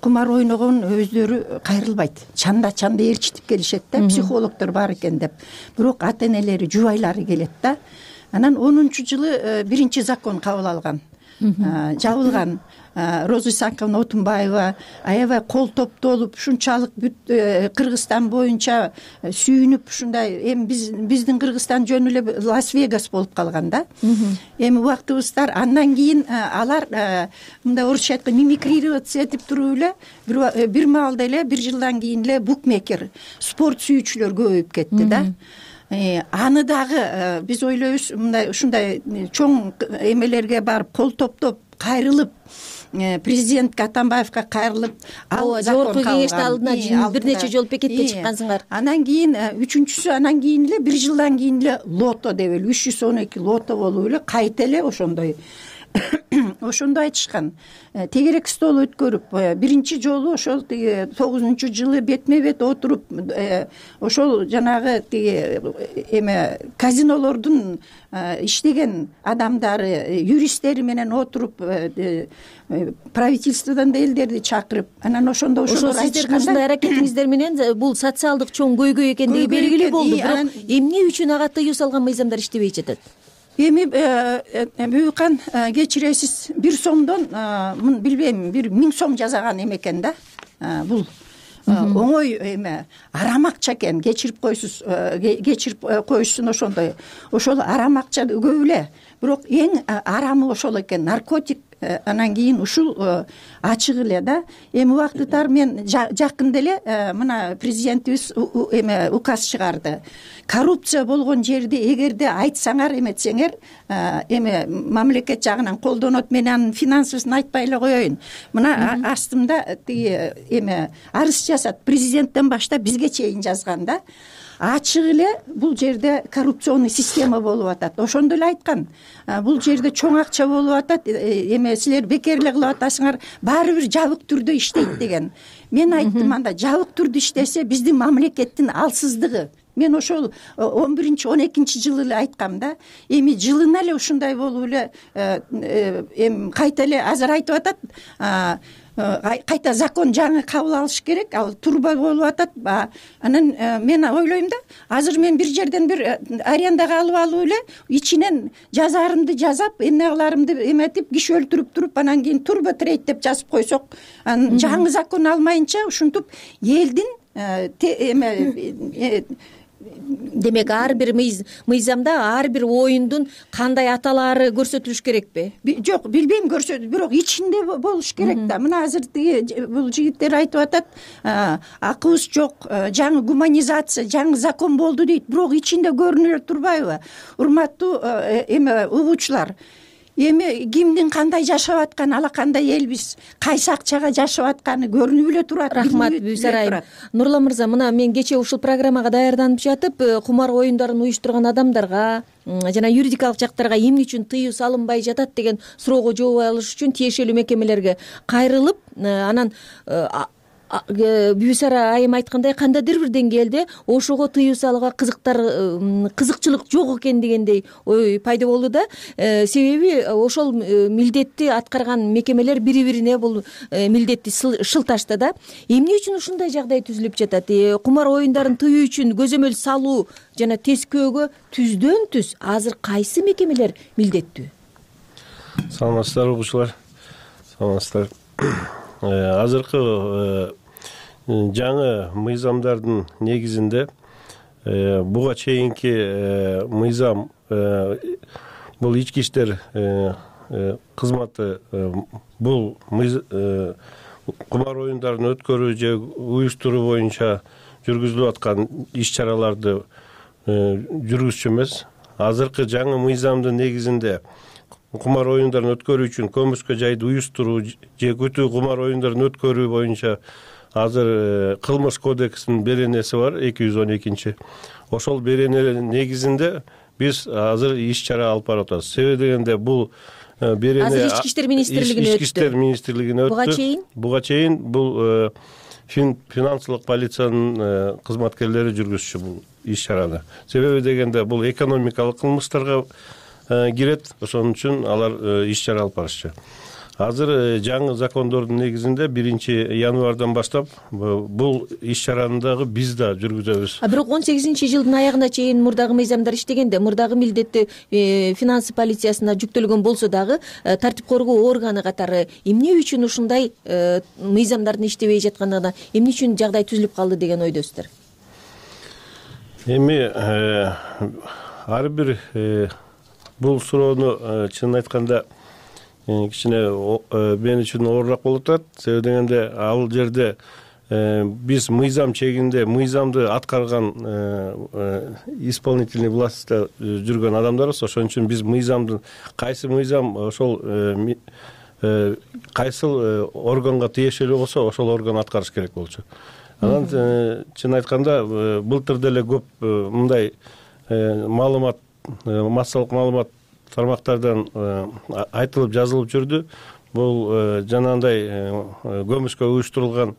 кумар ойногон өздөрү кайрылбайт. Чанда чанда ээрчитип келишет да, психологдор бар экен деп. Бирок ата энелери, жубайлары келет да. Анан онунчу жылы биринчи закон кабыл алган, жабылган. Роза Исааковна Отунбаева аябай кол топтолуп, ушунчалык бүт Кыргызстан боюнча сүйүнүп, ушундай эми биз биздин Кыргызстан жөн эле Лас-Вегас болуп калган да. Эми убактыбыздар андан кийин алар мындай орусча айтканда мимикрироваться этип туруп эле бир маалда эле бир жылдан кийин эле букмекер, спорт сүйүүчүлөр көбөйүп кетти да. Аны дагы биз ойлойбуз, мындай ушундай чоң эмелерге барып кол топтоп кайрылып, президентке Атамбаевка кайрылып, жогорку кеңеште алдына бир нече жолу пикетке чыккансыңар. Анан кийин үчүнчүсү, анан кийин эле бир жылдан кийин эле лото деп эле үч жүз он эки лото болуп эле кайта эле ошондой ошондо айтышкан. Тегерек стол өткөрүп, биринчи жолу ошол тиги тогузунчу жылы бетме бет отуруп, ошол жанагы тиги эме казинолордун иштеген адамдары, юристтери менен отуруп, правительстводон да элдерди чакырып, анан ошондо ошол сиздердин ушундай аракетиңиздер менен бул социалдык чоң көйгөй экендиги белгилүү болду. Бирок эмне үчүн ага тыюу салган мыйзамдар иштебей жатат? Эми Бүбүкан, кечиресиз, бир сомдон билбейм, бир миң сом жазаган эме экен да. Бул оңой эме, арам акча экен, кечирип койсуз, кечирип коюшсун ошондой. Ошол арам акча көп эле. Бирок эң арамы ошол экен, наркотик. Анан кийин ушул ачык эле да. Эми убактыттар мен жакында эле мына президентибиз эме указ чыгарды. Коррупция болгон жерде эгерде айтсаңар, эметсеңер, эме мамлекет жагынан колдонот. Мен анын финансысын айтпай эле коеюн. Мына астымда тиги эме арыз жасат, президенттен баштап бизге чейин жазган да. Ачык эле бул жерде коррупционный система болуп атат. Ошондо эле айткан. Бул жерде чоң акча болуп атат. Эме силер бекерлик кылып атасыңар, баары бир жабык түрдө иштейт деген. Мен айттым, анда жабык түрдө иштесе биздин мамлекеттин алсыздыгы. Мен ошол он биринчи он экинчи жылы эле айткам да. Эми жылына эле ушундай болуп эле эми кайта эле азыр айтып атат. Кайта закон жаңы кабыл алыш керек, ал турба болуп атат. Анан мен ойлойм да, азыр мен бир жерден бир арендага алып алып эле ичинен жазарымды жазап, эмне кыларымды эметип, киши өлтүрүп туруп, анан кийин турба трейд деп жазып койсок, жаңы закон алмайынча ушинтип элдин эме демек ар бир мыйзамда ар бир оюндун кандай аталары көрсөтүлүш керекпи? Жок, билбейм, көрсөтүп, бирок ичинде болуш керек да. Мына азыр бул жигиттер айтып атат, акыбыз жок, жаңы гуманизация, жаңы закон болду дейт, бирок ичинде көрүнө турбайбы? Урматтуу эме угуучулар, эми кимдин кандай жашап атканы, ала кандай элбиз, кайсы акчага жашап атканы көрүнүп эле турат. Рахмат Бүбүсара айым. Нурлан мырза, мына мен кечээ ушул программага даярданып жатып, кумар оюндарын уюштурган адамдарга жана юридикалык жактарга эмне үчүн тыюу салынбай жатат деген суроого жооп алыш үчүн тиешелүү мекемелерге кайрылып, анан Бүбүсара айым айткандай, кандайдыр бир деңгээлде ошого тыюу салууга кызыктар, кызыкчылык жок экен дегендей ой пайда болду да. Себеби ошол милдетти аткарган мекемелер бири-бирине бул милдетти шылташты да. Эмне үчүн ушундай жагдай түзүлүп жатат? Кумар оюндарын тыюу үчүн көзөмөл салуу жана тескөөгө түздөн түз азыр кайсы мекемелер милдеттүү? Саламатсыздарбы угуучулар? Саламатсыздар. Азыркы жаңы мыйзамдардын негизинде буга чейинки мыйзам бул ички иштер кызматы бул кумар оюндарын өткөрүү же уюштуруу боюнча жүргүзүлүп аткан иш чараларды жүргүзчү эмес. Азыркы жаңы мыйзамдын негизинде кумар оюндарын өткөрүү үчүн көмүскө жайды уюштуруу же күтүү кумар оюндарын өткөрүү боюнча азыр кылмыш кодексинин беренеси бар, эки жүз он экинчи. Ошол берене негизинде биз азыр иш чара алып барып атабыз. Себеби дегенде бул берене азыр ички иштер министрлигине өттү. Ички иштер министрлигине өттү. Буга чейин? Буга чейин бул финансылык полициянын кызматкерлери жүргүзчү бул иш чараны. Себеби дегенде бул экономикалык кылмыштарга кирет, ошон үчүн алар иш чара алып барышчу. Азыр жаңы закондордун негизинде биринчи январдан баштап бул иш чараны дагы биз да жүргүзөбүз. А бирок он сегизинчи жылдын аягына чейин мурдагы мыйзамдар иштегенде, мурдагы милдетти финанс полициясына жүктөлгөн болсо дагы тартип коргоо органы катары эмне үчүн ушундай мыйзамдардын иштебей жатканына, эмне үчүн жагдай түзүлүп калды деген ойдосуздар? Эми ар бир бул суроону чынын айтканда кичине мен үчүн оорураак болуп атат. Себеби дегенде ал жерде биз мыйзам чегинде мыйзамды аткарган исполнительный властьта жүргөн адамдарбыз. Ошон үчүн биз мыйзамдын кайсы мыйзам ошол кайсыл органга тиешелүү болсо ошол орган аткарыш керек болчу. Анан чын айтканда былтыр деле көп мындай маалымат, массалык маалымат тармактардан айтылып жазылып жүрдү. Бул жанагындай көмүскө уюштурулган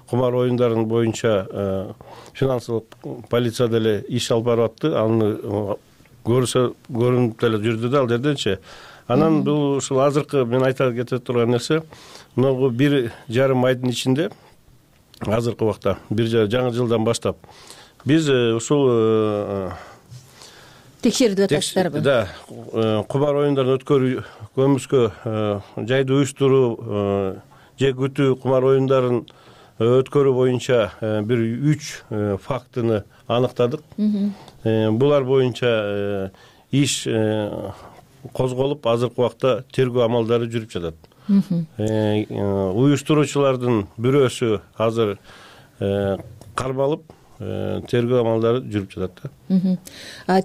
кумар оюндарын боюнча финансылык полиция деле иш алып барып атты. Аны көрсө көрүнүп деле жүрдү да ал жерденчи. Анан бул ушул азыркы мен айта кете турган нерсе, мына бир жарым айдын ичинде азыркы убакта бир жаңы жылдан баштап биз ушул текшерүүгө атасыздарбы? Да, кумар оюндарын өткөрүү, көмүскө жайды уюштуруу же күтүү кумар оюндарын өткөрүү боюнча бир үч фактыны аныктадык. Булар боюнча иш козголуп, азыркы убакта тергөө амалдары жүрүп жатат. Уюштуруучулардын бирөөсү азыр кармалып, тергөө амалдары жүрүп жатат.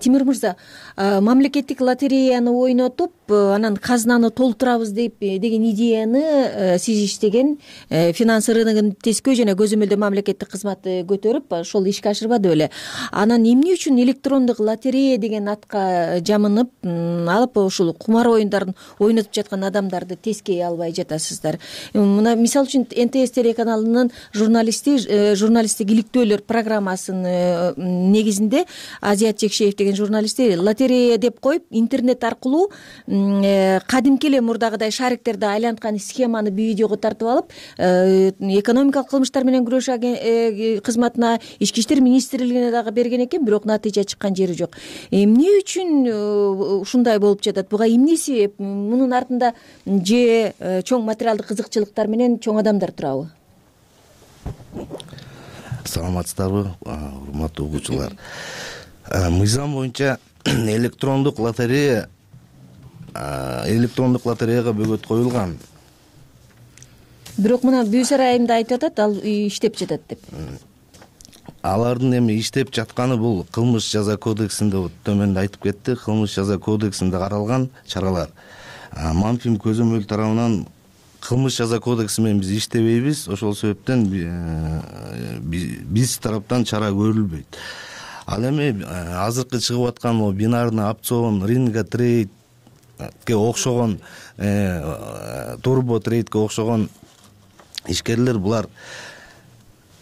Тимир мырза, мамлекеттик лотереяны ойнотуп, анан казынаны толтурабыз деп деген идеяны сиз иштеген финанс рыногун тескөө жана көзөмөлдөө мамлекеттик кызматы көтөрүп, ошол ишке ашырбады беле. Анан эмне үчүн электрондук лотерея деген атка жамынып, алып ушул кумар оюндарын ойнотуп жаткан адамдарды тескей албай жатасыздар? Мына мисалы үчүн эн тэ эс телеканалынын журналисти журналисттик иликтөөлөр программасынын негизинде Азият Жекшеев деген журналисти лотерея деп коюп, интернет аркылуу кадимки эле мурдагыдай шариктерди айланткан схеманы видеого тартып алып, экономикалык кылмыштар менен күрөшүү кызматына, ички иштер министрлигине дагы берген экен, бирок натыйжа чыккан жери жок. Эмне үчүн ушундай болуп жатат? Буга эмне себеп? Мунун артында же чоң материалдык кызыкчылыктар менен чоң адамдар турабы? Саламатсыздарбы, урматтуу угуучулар. Мыйзам боюнча электрондук лотерея электрондук лотереяга бөгөт коюлган. Бирок мына Бүй Сарайымда айтып атат, ал иштеп жатат деп. Алардын эми иштеп жатканы бул кылмыш жаза кодексинде төмөндө айтып кетти, кылмыш жаза кодексинде каралган чаралар. Мамфим көзөмөл тарабынан кылмыш жаза кодекси менен биз иштебейбиз, ошол себептен биз тараптан чара көрүлбөйт. Ал эми азыркы чыгып аткан бинарный опцион, ринга трейдке окшогон, турбо трейдке окшогон ишкерлер булар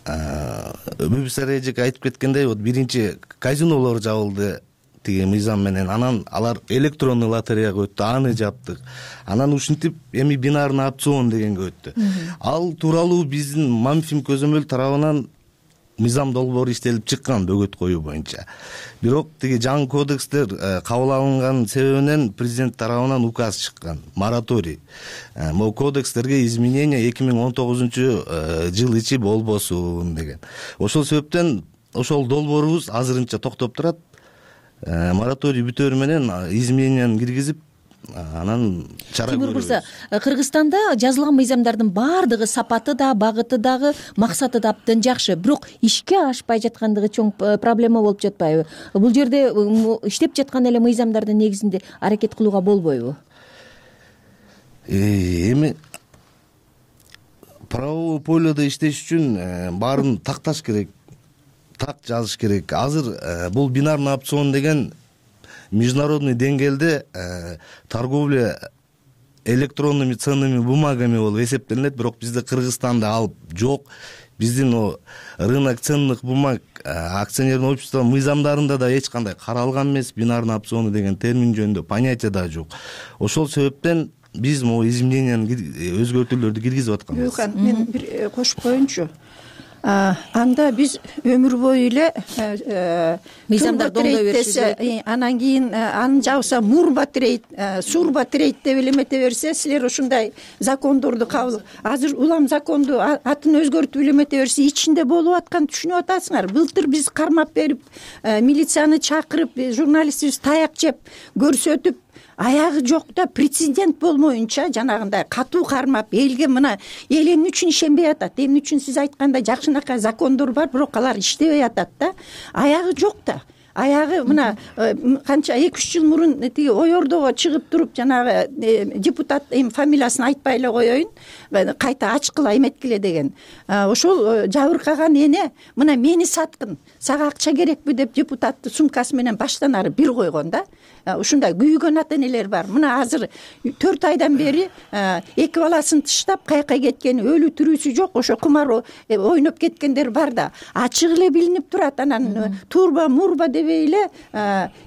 Бүбү Сарайжек айтып кеткендей, вот биринчи казинолор жабылды тиги мыйзам менен, анан алар электронный лотереяга өттү, аны жаптык. Анан ушинтип эми бинарный опцион дегенге өттү. Ал тууралуу биздин Мамфим көзөмөл тарабынан мыйзам долбоору иштелип чыккан бөгөт коюу боюнча. Бирок тиги жаңы кодекстер кабыл алынган себебинен президент тарабынан указ чыккан, мораторий. Могу кодекстерге изменение эки миң он тогузунчу жыл ичи болбосун деген. Ошол себептен ошол долбоорубуз азырынча токтоп турат. Мораторий бүтөөрү менен измененияны киргизип, анан чара Тимур көрөбүз. мырза, Кыргызстанда жазылган мыйзамдардын баардыгы сапаты да, багыты дагы, максаты да абдан жакшы, бирок ишке ашпай жаткандыгы чоң проблема болуп жатпайбы? Бул жерде иштеп жаткан эле мыйзамдардын негизинде аракет кылууга болбойбу? Эми правовой поледа иштеш үчүн баарын такташ керек, так жазыш керек. Азыр бул бинарный опцион деген международный деңгээлде торговля электронными ценными бумагами болуп эсептелинет, бирок бизде Кыргызстанда ал жок. Биздин рынок ценных бумаг акционерный общество мыйзамдарында да эч кандай каралган эмес, бинарный опциону деген термин жөнүндө понятие да жок. Ошол себептен биз могу изменениянын өзгөртүүлөрдү киргизип атканбыз. Мен бир кошуп коеюнчу. Анда биз өмүр бою эле мыйзамдарды оңдой беришибиз керек. Анан кийин аны жабса мурба трейд, сурба трейд деп элемете берсе, силер ушундай закондорду кабыл. Азыр улам законду атын өзгөртүп элемете берсе, ичинде болуп атканын түшүнүп атасыңар. Былтыр биз кармап берип, милицияны чакырып, журналистибиз таяк жеп, көрсөтүп, аягы жок да, прецедент болмоюнча жанагындай катуу кармап, элге мына эл эмне үчүн ишенбей атат, эмне үчүн сиз айткандай жакшынакай закондор бар, бирок алар иштебей атат да, аягы жок да. Аягы мына канча эки үч жыл мурун тиги ой ордого чыгып туруп, жанагы депутат эми фамилиясын айтпай эле коеюн, кайта ачкыла эметкиле деген. Ошол жабыркаган эне мына мени саткын, сага акча керекпи деп депутатты сумкасы менен баштан ары бир койгон да. Ушундай күйгөн ата энелер бар. Мына азыр төрт айдан бери эки баласын тыштап каяка кеткен, өлү тирүүсү жок, ошо кумар ойноп кеткендер бар да. Ачык эле билинип турат. Анан турба мурба дебей эле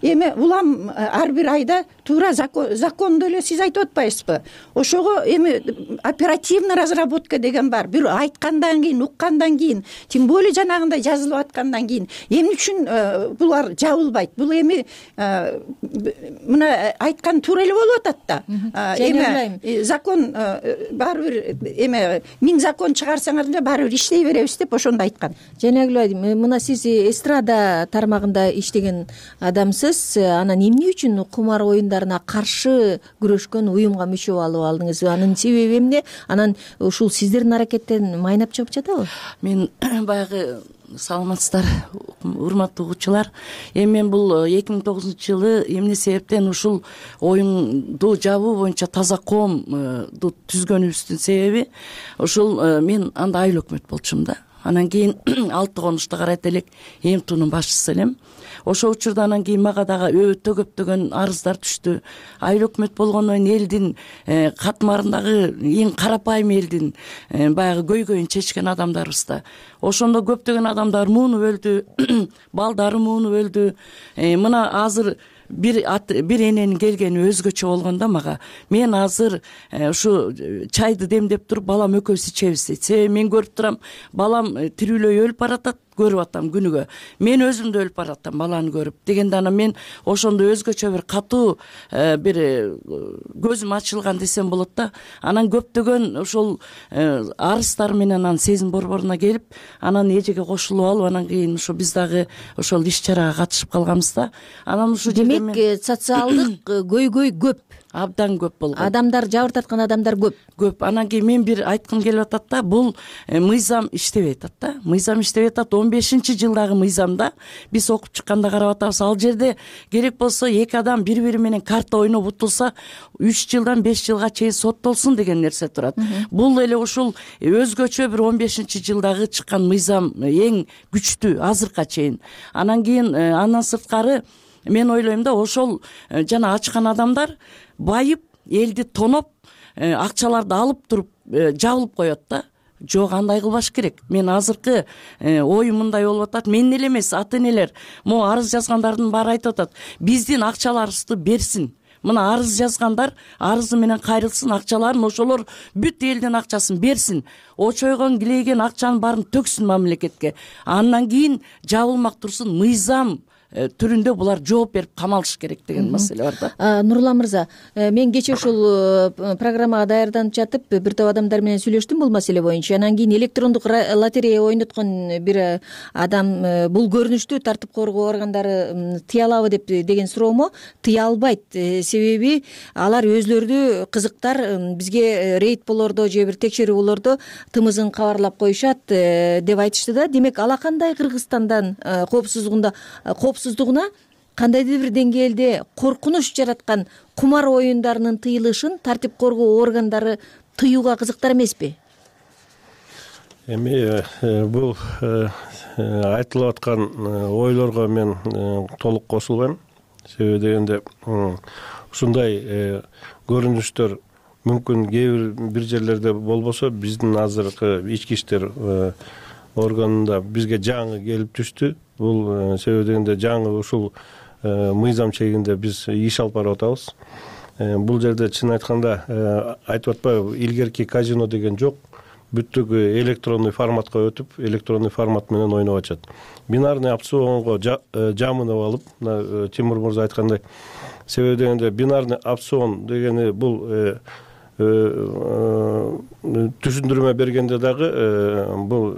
эми улам ар бир айда туура закондо эле сиз айтып атпайсызбы? Ошого эми оперативный разработка деген бар. Бир айткандан кийин, уккандан кийин, тем более жанагындай жазылып аткандан кийин эмне үчүн булар жабылбайт? Бул эми мына айткан туура эле болуп атат да. Эми закон баары бир эме миң закон чыгарсаңар деле баары бир иштей беребиз деп ошондо айткан. Жанагүл, мына сиз эстрада тармагында иштеген адамсыз. Анан эмне үчүн кумар оюндарына каршы күрөшкөн уюмга мүчө болуп алдыңыз? Анын себеби эмне? Анан ушул сиздердин аракеттен майнап чыгып жатабы? Мен баягы саламатсыздар, урматтуу угуучулар. Эми мен бул эки миң тогузунчу жылы эмне себептен ушул оюнду жабуу боюнча таза коомду түзгөнүбүздүн себеби ушул мен анда айыл өкмөт болчумун да. Анан кийин алты конушта карайт элек эмтунун башчысы элем. Ошол учурда анан кийин мага дагы өтө көптөгөн арыздар түштү. Айыл өкмөт болгондон кийин элдин катмарындагы эң карапайым элдин баягы көйгөйүн чечкен адамдарбыз да. Ошондо көптөгөн адамдар муунуп өлдү, балдары муунуп өлдү. Мына азыр бир бир эненин келгени өзгөчө болгондо мага мен азыр ушу чайды демдеп туруп балам экөөбүз ичебиз дейт. Себеби мен көрүп турам, балам тирүүлөй өлүп баратат, көрүп атам күнүгө. Мен өзүм да өлүп баратам баланы көрүп. Дегенде анан мен ошондо өзгөчө бир катуу бир көзүм ачылган десем болот да. Анан көптөгөн ошол арыздар менен анан сезим борборуна келип, анан эжеге кошулуп алып, анан кийин ушу биз дагы ошол иш чарага катышып калганбыз да. Анан ушу демек социалдык көйгөй көп, абдан көп болгон. Адамдар жабыртаткан адамдар көп. Көп. Анан кийин мен бир айткым келип атат да, бул мыйзам иштебей атат да. Мыйзам иштебей атат. он бешинчи жылдагы мыйзамда биз окуп чыкканда карап атабыз. Ал жерде керек болсо эки адам бири-бири менен карта ойноп утулса үч жылдан беш жылга чейин соттолсун деген нерсе турат. Бул эле ушул өзгөчө бир он бешинчи жылдагы чыккан мыйзам эң күчтүү азыркыга чейин. Анан кийин андан сырткары мен ойлойм да, ошол жана ачкан адамдар байып, элди тоноп, акчаларды алып туруп жабылып коет да. Жок, андай кылбаш керек. Мен азыркы оюм мындай болуп атат. Мен эле эмес, ата энелер, могу арыз жазгандардын баары айтып атат. Биздин акчаларыбызды берсин. Мына арыз жазгандар арызы менен кайрылсын, акчаларын ошолор бүт элдин акчасын берсин. Очойгон килейген акчанын баарын төксүн мамлекетке. Андан кийин жабылмак турсун, мыйзам түрүндө булар жооп берип камалыш керек деген маселе бар да. Нурлан мырза, мен кечээ ушул программага даярданып жатып бир топ адамдар менен сүйлөштүм бул маселе боюнча. Анан кийин электрондук лотерея ойноткон бир адам бул көрүнүштү тартип коргоо органдары тыя алабы деп деген суроомо тыя албайт. Себеби алар өзлөрү кызыктар бизге рейд болордо же бир текшерүүлөрдө тымызын кабарлап коюшат деп айтышты да. Демек ала кандай Кыргызстандан коопсуздугунда коопсуздугуна кандайдыр бир деңгээлде коркунуч жараткан кумар оюндарынын тыйылышын тартип коргоо органдары тыюуга кызыктар эмеспи? Эми бул айтылып аткан ойлорго мен толук кошулбайм. Себеби дегенде ушундай көрүнүштөр мүмкүн кээ бир бир жерлерде болбосо биздин азыркы ички иштер органында бизге жаңы келип түштү. Бул себеби дегенде жаңы ушул мыйзам чегинде биз иш алып барып атабыз. Бул жерде чын айтканда айтып атпайбы, илгерки казино деген жок. Бүттүк электронный форматка өтүп, электронный формат менен ойноп атышат. Бинарный опционго жамынып алып, Тимур мырза айткандай, себеби дегенде бинарный опцион дегени бул түшүндүрмө бергенде дагы бул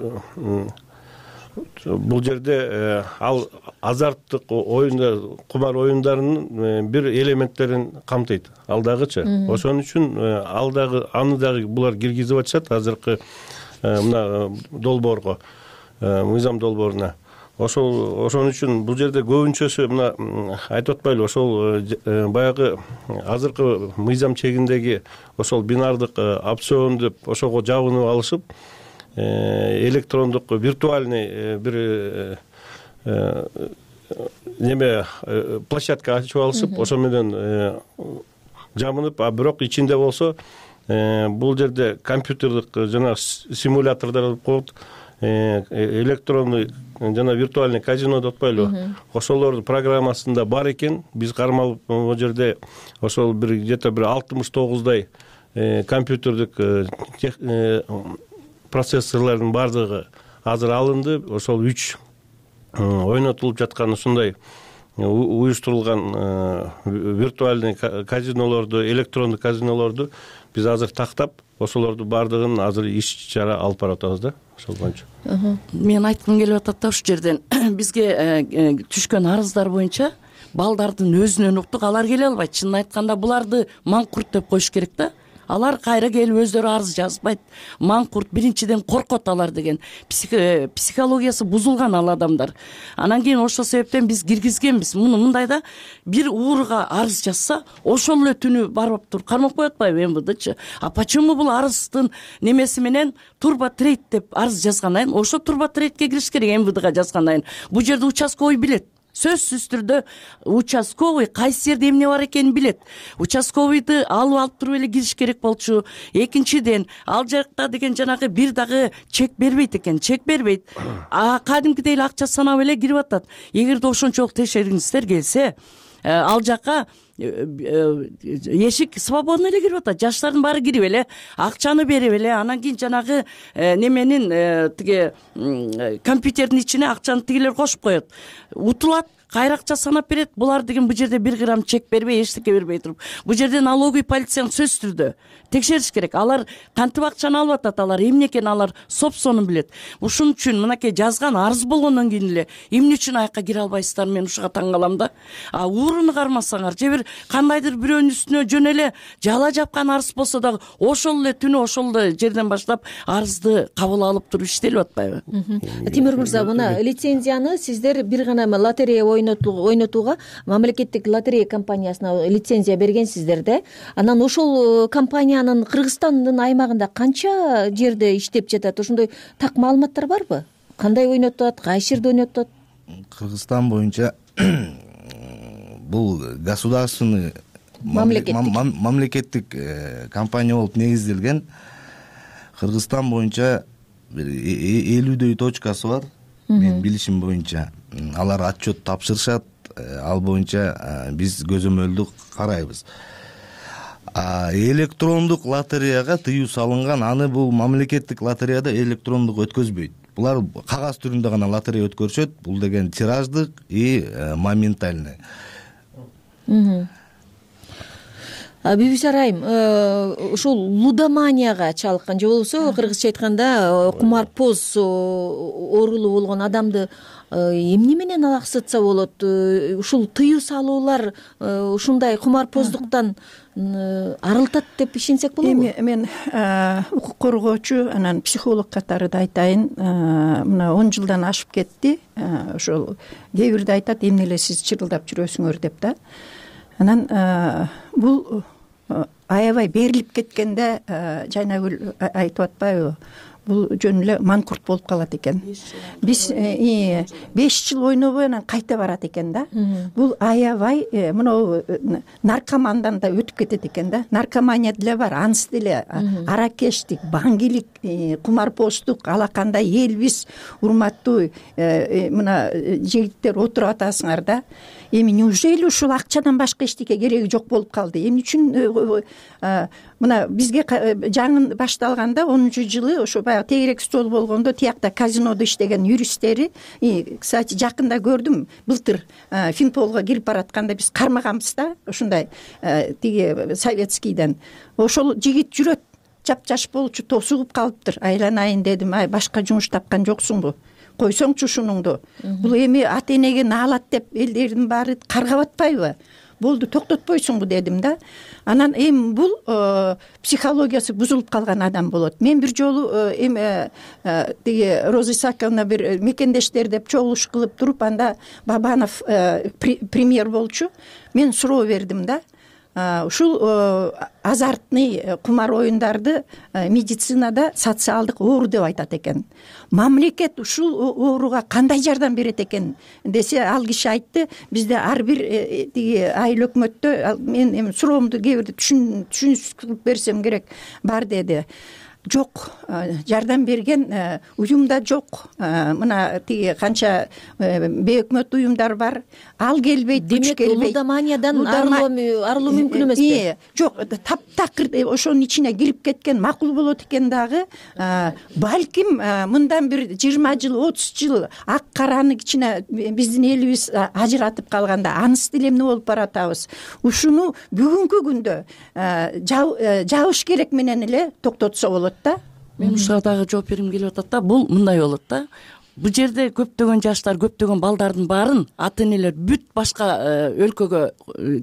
бул жерде ал азарттык оюндар, кумар оюндарынын бир элементтерин камтыйт. Ал дагычы. Ошон үчүн ал дагы аны дагы булар киргизип атышат азыркы мына долбоорго, мыйзам долбооруна. Ошол ошон үчүн бул жерде көбүнчөсү мына айтып атпайлы, ошол баягы азыркы мыйзам чегиндеги ошол бинардык опцион деп ошого жабынып алышып, электрондук виртуальный бир неме площадка ачып алышып, ошо менен жабынып, а бирок ичинде болсо бул жерде компьютердик жана симулятордор болуп коет, электронный жана виртуальный казино деп атпайлыбы, ошолордун программасында бар экен. Биз кармалып могу жерде ошол бир где-то бир алтымыш тогуздай компьютердик процессорлордун бардыгы азыр алынды. Ошол үч ойнотулуп жаткан ушундай уюштурулган виртуальный казинолорду, электрондук казинолорду биз азыр тактап, ошолордун бардыгын азыр иш чара алып барып атабыз да, ошол боюнча. Мен айткым келип атат да, ушул жерден бизге түшкөн арыздар боюнча балдардын өзүнөн уктук, алар келе албайт. Чынын айтканда буларды маңкурт деп коюш керек да. Алар кайра келип өздөрү арыз жазбайт. Маңкурт биринчиден коркот алар деген. Психологиясы бузулган ал адамдар. Анан кийин ошол себептен биз киргизгенбиз. Муну мындайда бир ууруга арыз жазса, ошол эле түнү барып туруп кармап коет атпайбы эм вэ дэчи? А почему бул арыздын немеси менен турбо трейд деп арыз жазгандан кийин ошо турбо трейдке кириш керек, эм вэ дэга жазгандан кийин. Бул жерде участковый билет. Сөзсүз түрдө участковый кайсы жерде эмне бар экенин билет. Участковыйды алып алып туруп эле кириш керек болчу. Экинчиден, ал жакта деген жанагы бир дагы чек бербейт экен, чек бербейт. А кадимкидей эле акча санап эле кирип атат. Эгерде ошончолук текшергиңиздер келсе, ал жака эшик свободно эле кирип атат. Жаштардын баары кирип эле акчаны берип эле, анан кийин жанагы неменин тиги компьютердин ичине акчаны тигилер кошуп коет. Утулат, кайра акча санап берет. Булар деген бул жерде бир грамм чек бербей, эчтеке бербей туруп, бул жерде налоговый полицияны сөзсүз түрдө текшериш керек. Алар кантип акчаны алып атат, алар эмне экенин алар собственный билет. Ушун үчүн мынакей жазган арыз болгондон кийин эле эмне үчүн аякка кире албайсыздар, мен ушуга таң калам да. А ууруну кармасаңар, же бир кандайдыр бирөөнүн үстүнө жөн эле жала жапкан арыз болсо дагы ошол эле түнү ошол эле жерден баштап арызды кабыл алып туруп иштелип атпайбы? Тимур мырза, мына лицензияны сиздер бир гана лотерея ойнотууга мамлекеттик лотерея компаниясына лицензия бергенсиздер да. Анан ошол компаниянын Кыргызстандын аймагында канча жерде иштеп жатат? Ошондой так маалыматтар барбы? Кандай ойнотуп атат, кайсы жерде ойнотуп атат? Кыргызстан боюнча бул государственный мамлекеттик компания болуп негизделген. Кыргызстан боюнча бир элүүдөй точкасы бар. Мен билишим боюнча алар отчет тапшырышат. Ал боюнча биз көзөмөлдү карайбыз. Электрондук лотереяга тыюу салынган, аны бул мамлекеттик лотереяда электрондук өткөзбөйт. булар кагаз түрүндө гана лотерея өткөрүшөт. Бул деген тираждык и моментальный. Бибисара айым, ушул лудоманияга чалыккан же болбосо кыргызча айтканда кумарпоз оорулуу болгон адамды эмне менен алаксытса болот? Ушул тыюу салуулар ушундай кумарпоздуктан арылтат деп ишенсек болобу? Эми мен укук коргоочу, анан психолог катары да айтайын, мына он жылдан ашып кетти. Ошол кээ бирде айтат, эмне эле сиз чырылдап жүрөсүңөр деп да. Анан бул аябай берилип кеткенде Жайнагүл айтып атпайбы? Бул жөн эле манкурт болуп калат экен. Биз беш жыл ойнобой анан кайта барат экен да. Бул аябай мына наркомандан да өтүп кетет экен да. Наркомания деле бар, анысы деле аракештик, баңгилик, кумарпоздук, алакандай элбиз, урматтуу мына жигиттер отуруп атасыңар да. Эми неужели ушул акчадан башка эчтеке кереги жок болуп калды? Эмне үчүн мына бизге жаңы башталганда онунчу жылы ошо баягы тегерек стол болгондо тиякта казинодо иштеген юристтери, кстати, жакында көрдүм, былтыр Финполго кирип баратканда биз кармаганбыз да, ушундай тиги советскийден. Ошол жигит жүрөт, жапжаш болчу, тосугуп калыптыр. Айланайын дедим, ай башка жумуш тапкан жоксуңбу? Койсоңчу ушунуңду. Бул эми ата энеге наалат деп элдердин баары каргап атпайбы? Болду, токтотпойсуңбу дедим да. Анан эми бул психологиясы бузулуп калган адам болот. Мен бир жолу эми тиги Роза Исаковна бир мекендештер деп чогулуш кылып туруп, анда Бабанов премьер болчу. Мен суроо бердим да. Ушул азартный кумар оюндарды медицинада социалдык оору деп айтат экен. Мамлекет ушул ооруга кандай жардам берет экен десе, ал киши айтты, бизде ар бир тиги айыл өкмөттө, мен эми суроомду кээ бирде түшүнүп берсем керек, бар деди. Жок, жардам берген уюмда жок. Мына тиги канча бейөкмөт уюмдар бар, ал келбейт, күч келбейт. Лудоманиядан арылуу мүмкүн эмеспи? Жок, таптакыр ошонун ичине кирип кеткен макул болот экен дагы. Балким мындан бир жыйырма жыл, отуз жыл ак караны кичине биздин элибиз ажыратып калганда анысы деле эмне болуп баратабыз? Ушуну бүгүнкү күндө жабыш керек менен эле токтотсо болот. Мен ушуга дагы жооп бергим келип атат да. Бул мындай болот да. Бул жерде көптөгөн жаштар, көптөгөн балдардын баарын ата энелер бүт башка өлкөгө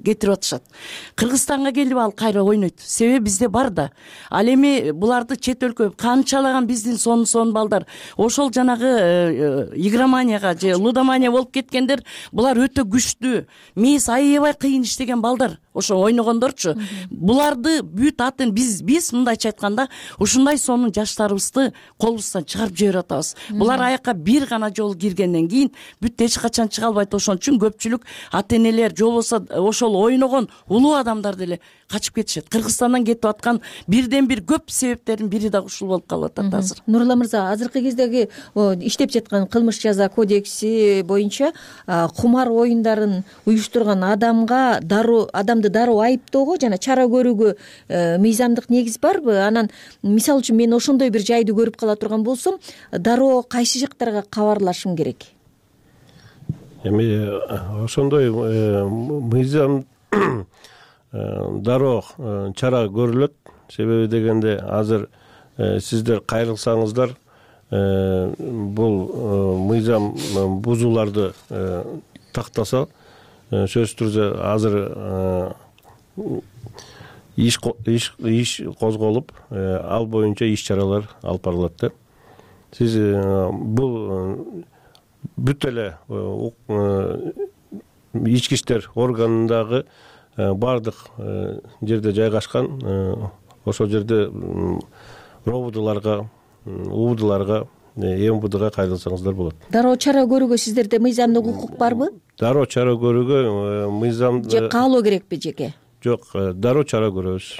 кетирип атышат. Кыргызстанга келип ал кайра ойнойт. Себеби бизде бар да. Ал эми буларды чет өлкө канчалаган биздин сон сон балдар ошол жанагы игроманияга же лудомания болуп кеткендер, булар өтө күчтүү. Мээс аябай кыйын иштеген балдар. Ошо ойногондорчу. Буларды бүт атын биз биз мындайча айтканда ушундай сонун жаштарыбызды колубуздан чыгарып жиберип атабыз. Булар аякка бир гана жолу киргенден кийин бүт эч качан чыга албайт. Ошон үчүн көпчүлүк ата энелер же болбосо ошол ойногон улуу адамдар деле качып кетишет. Кыргызстандан кетип аткан бирден бир көп себептердин бири да ушул болуп калып атат азыр. Нурулла мырза, азыркы кездеги иштеп жаткан кылмыш жаза кодекси боюнча кумар оюндарын уюштурган адамга дароо адамды дароо айыптоого жана чара көрүүгө мыйзамдык негиз барбы? Анан мисалы үчүн мен ошондой бир жайды көрүп кала турган болсом, дароо кайсы жактарга кабарлашым керек? Эми ошондой мыйзам дароо чара көрүлөт. Себеби дегенде азыр сиздер кайрылсаңыздар, бул мыйзам бузууларды тактаса, сөзсүз түрдө азыр иш иш козголуп, ал боюнча иш чаралар алып барылат да. Сиз бул бүт эле ички иштер органындагы бардык жерде жайгашкан, ошол жерде робудуларга, убудуларга, эмбудга кайрылсаңыздар болот. Дароо чара көрүүгө сиздерде мыйзамдык укук барбы? Дароо чара көрүүгө мыйзам же каалоо керекпи жеке? Жок, дароо чара көрөбүз.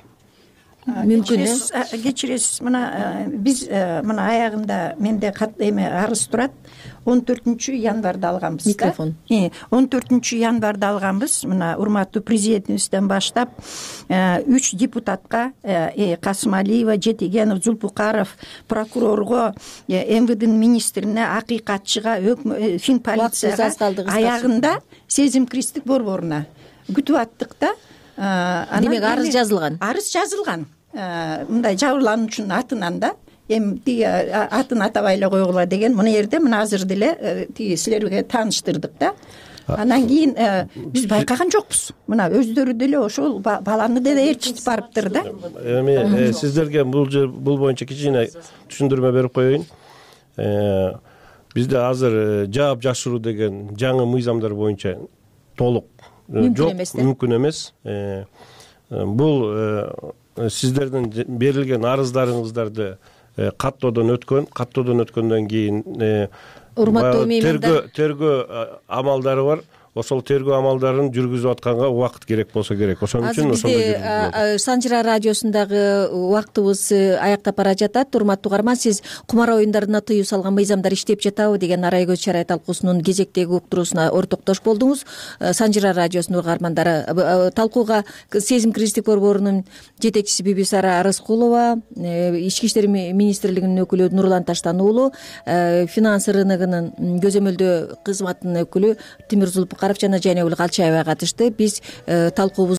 мүмкүн э кечиресиз мына биз мына аягында менде эме арыз турат он төртүнчү январда алганбыз микрофон он төртүнчү январда алганбыз мына урматтуу президентибизден баштап үч депутатка Касымалиева, Жетегенов, Зулпукаров, прокурорго, эм вэ дэнин министрине, акыйкатчыга, фин полицияга аягында сезим кристик борборуна күтүп аттык да. Демек арыз жазылган арыз жазылган мындай жабырлануучунун атынан да. Эми тиги атын атабай эле койгула деген мына жерде мына азыр деле тиги силерге тааныштырдык да. Анан кийин биз байкаган жокпуз. Мына өздөрү деле ошол баланы деле ээрчитип барыптыр да. Эми сиздерге бул бул боюнча кичине түшүндүрмө берип коеюн. Бизде азыр жаап жашыруу деген жаңы мыйзамдар боюнча толук жок, мүмкүн эмес. Бул сиздердин берилген арыздарыңыздарды каттоодон өткөн, каттоодон өткөндөн кийин урматтуу меймандар тергөө амалдары бар. Ошол тергөө амалдарын жүргүзүп атканга убакыт керек болсо керек. Ошон үчүн ошондой жүргүзүлөт. Санжыра радиосундагы убактыбыз аяктап бара жатат. Урматтуу угарман, сиз кумар оюндарына тыюу салган мыйзамдар иштеп жатабы деген арай көз чарай талкуусунун кезектеги уктуруусуна ортоктош болдуңуз. Санжыра радиосунун угармандары талкууга сезим кристик борборунун жетекчиси Бибисара Арыскулова, Ички иштер министрлигинин өкүлү Нурлан Таштан уулу, финанс рыногунун көзөмөлдөө кызматынын өкүлү Тимир Зулпукаров жана Жайнагүл Калчаева катышты. Биз талкуубуз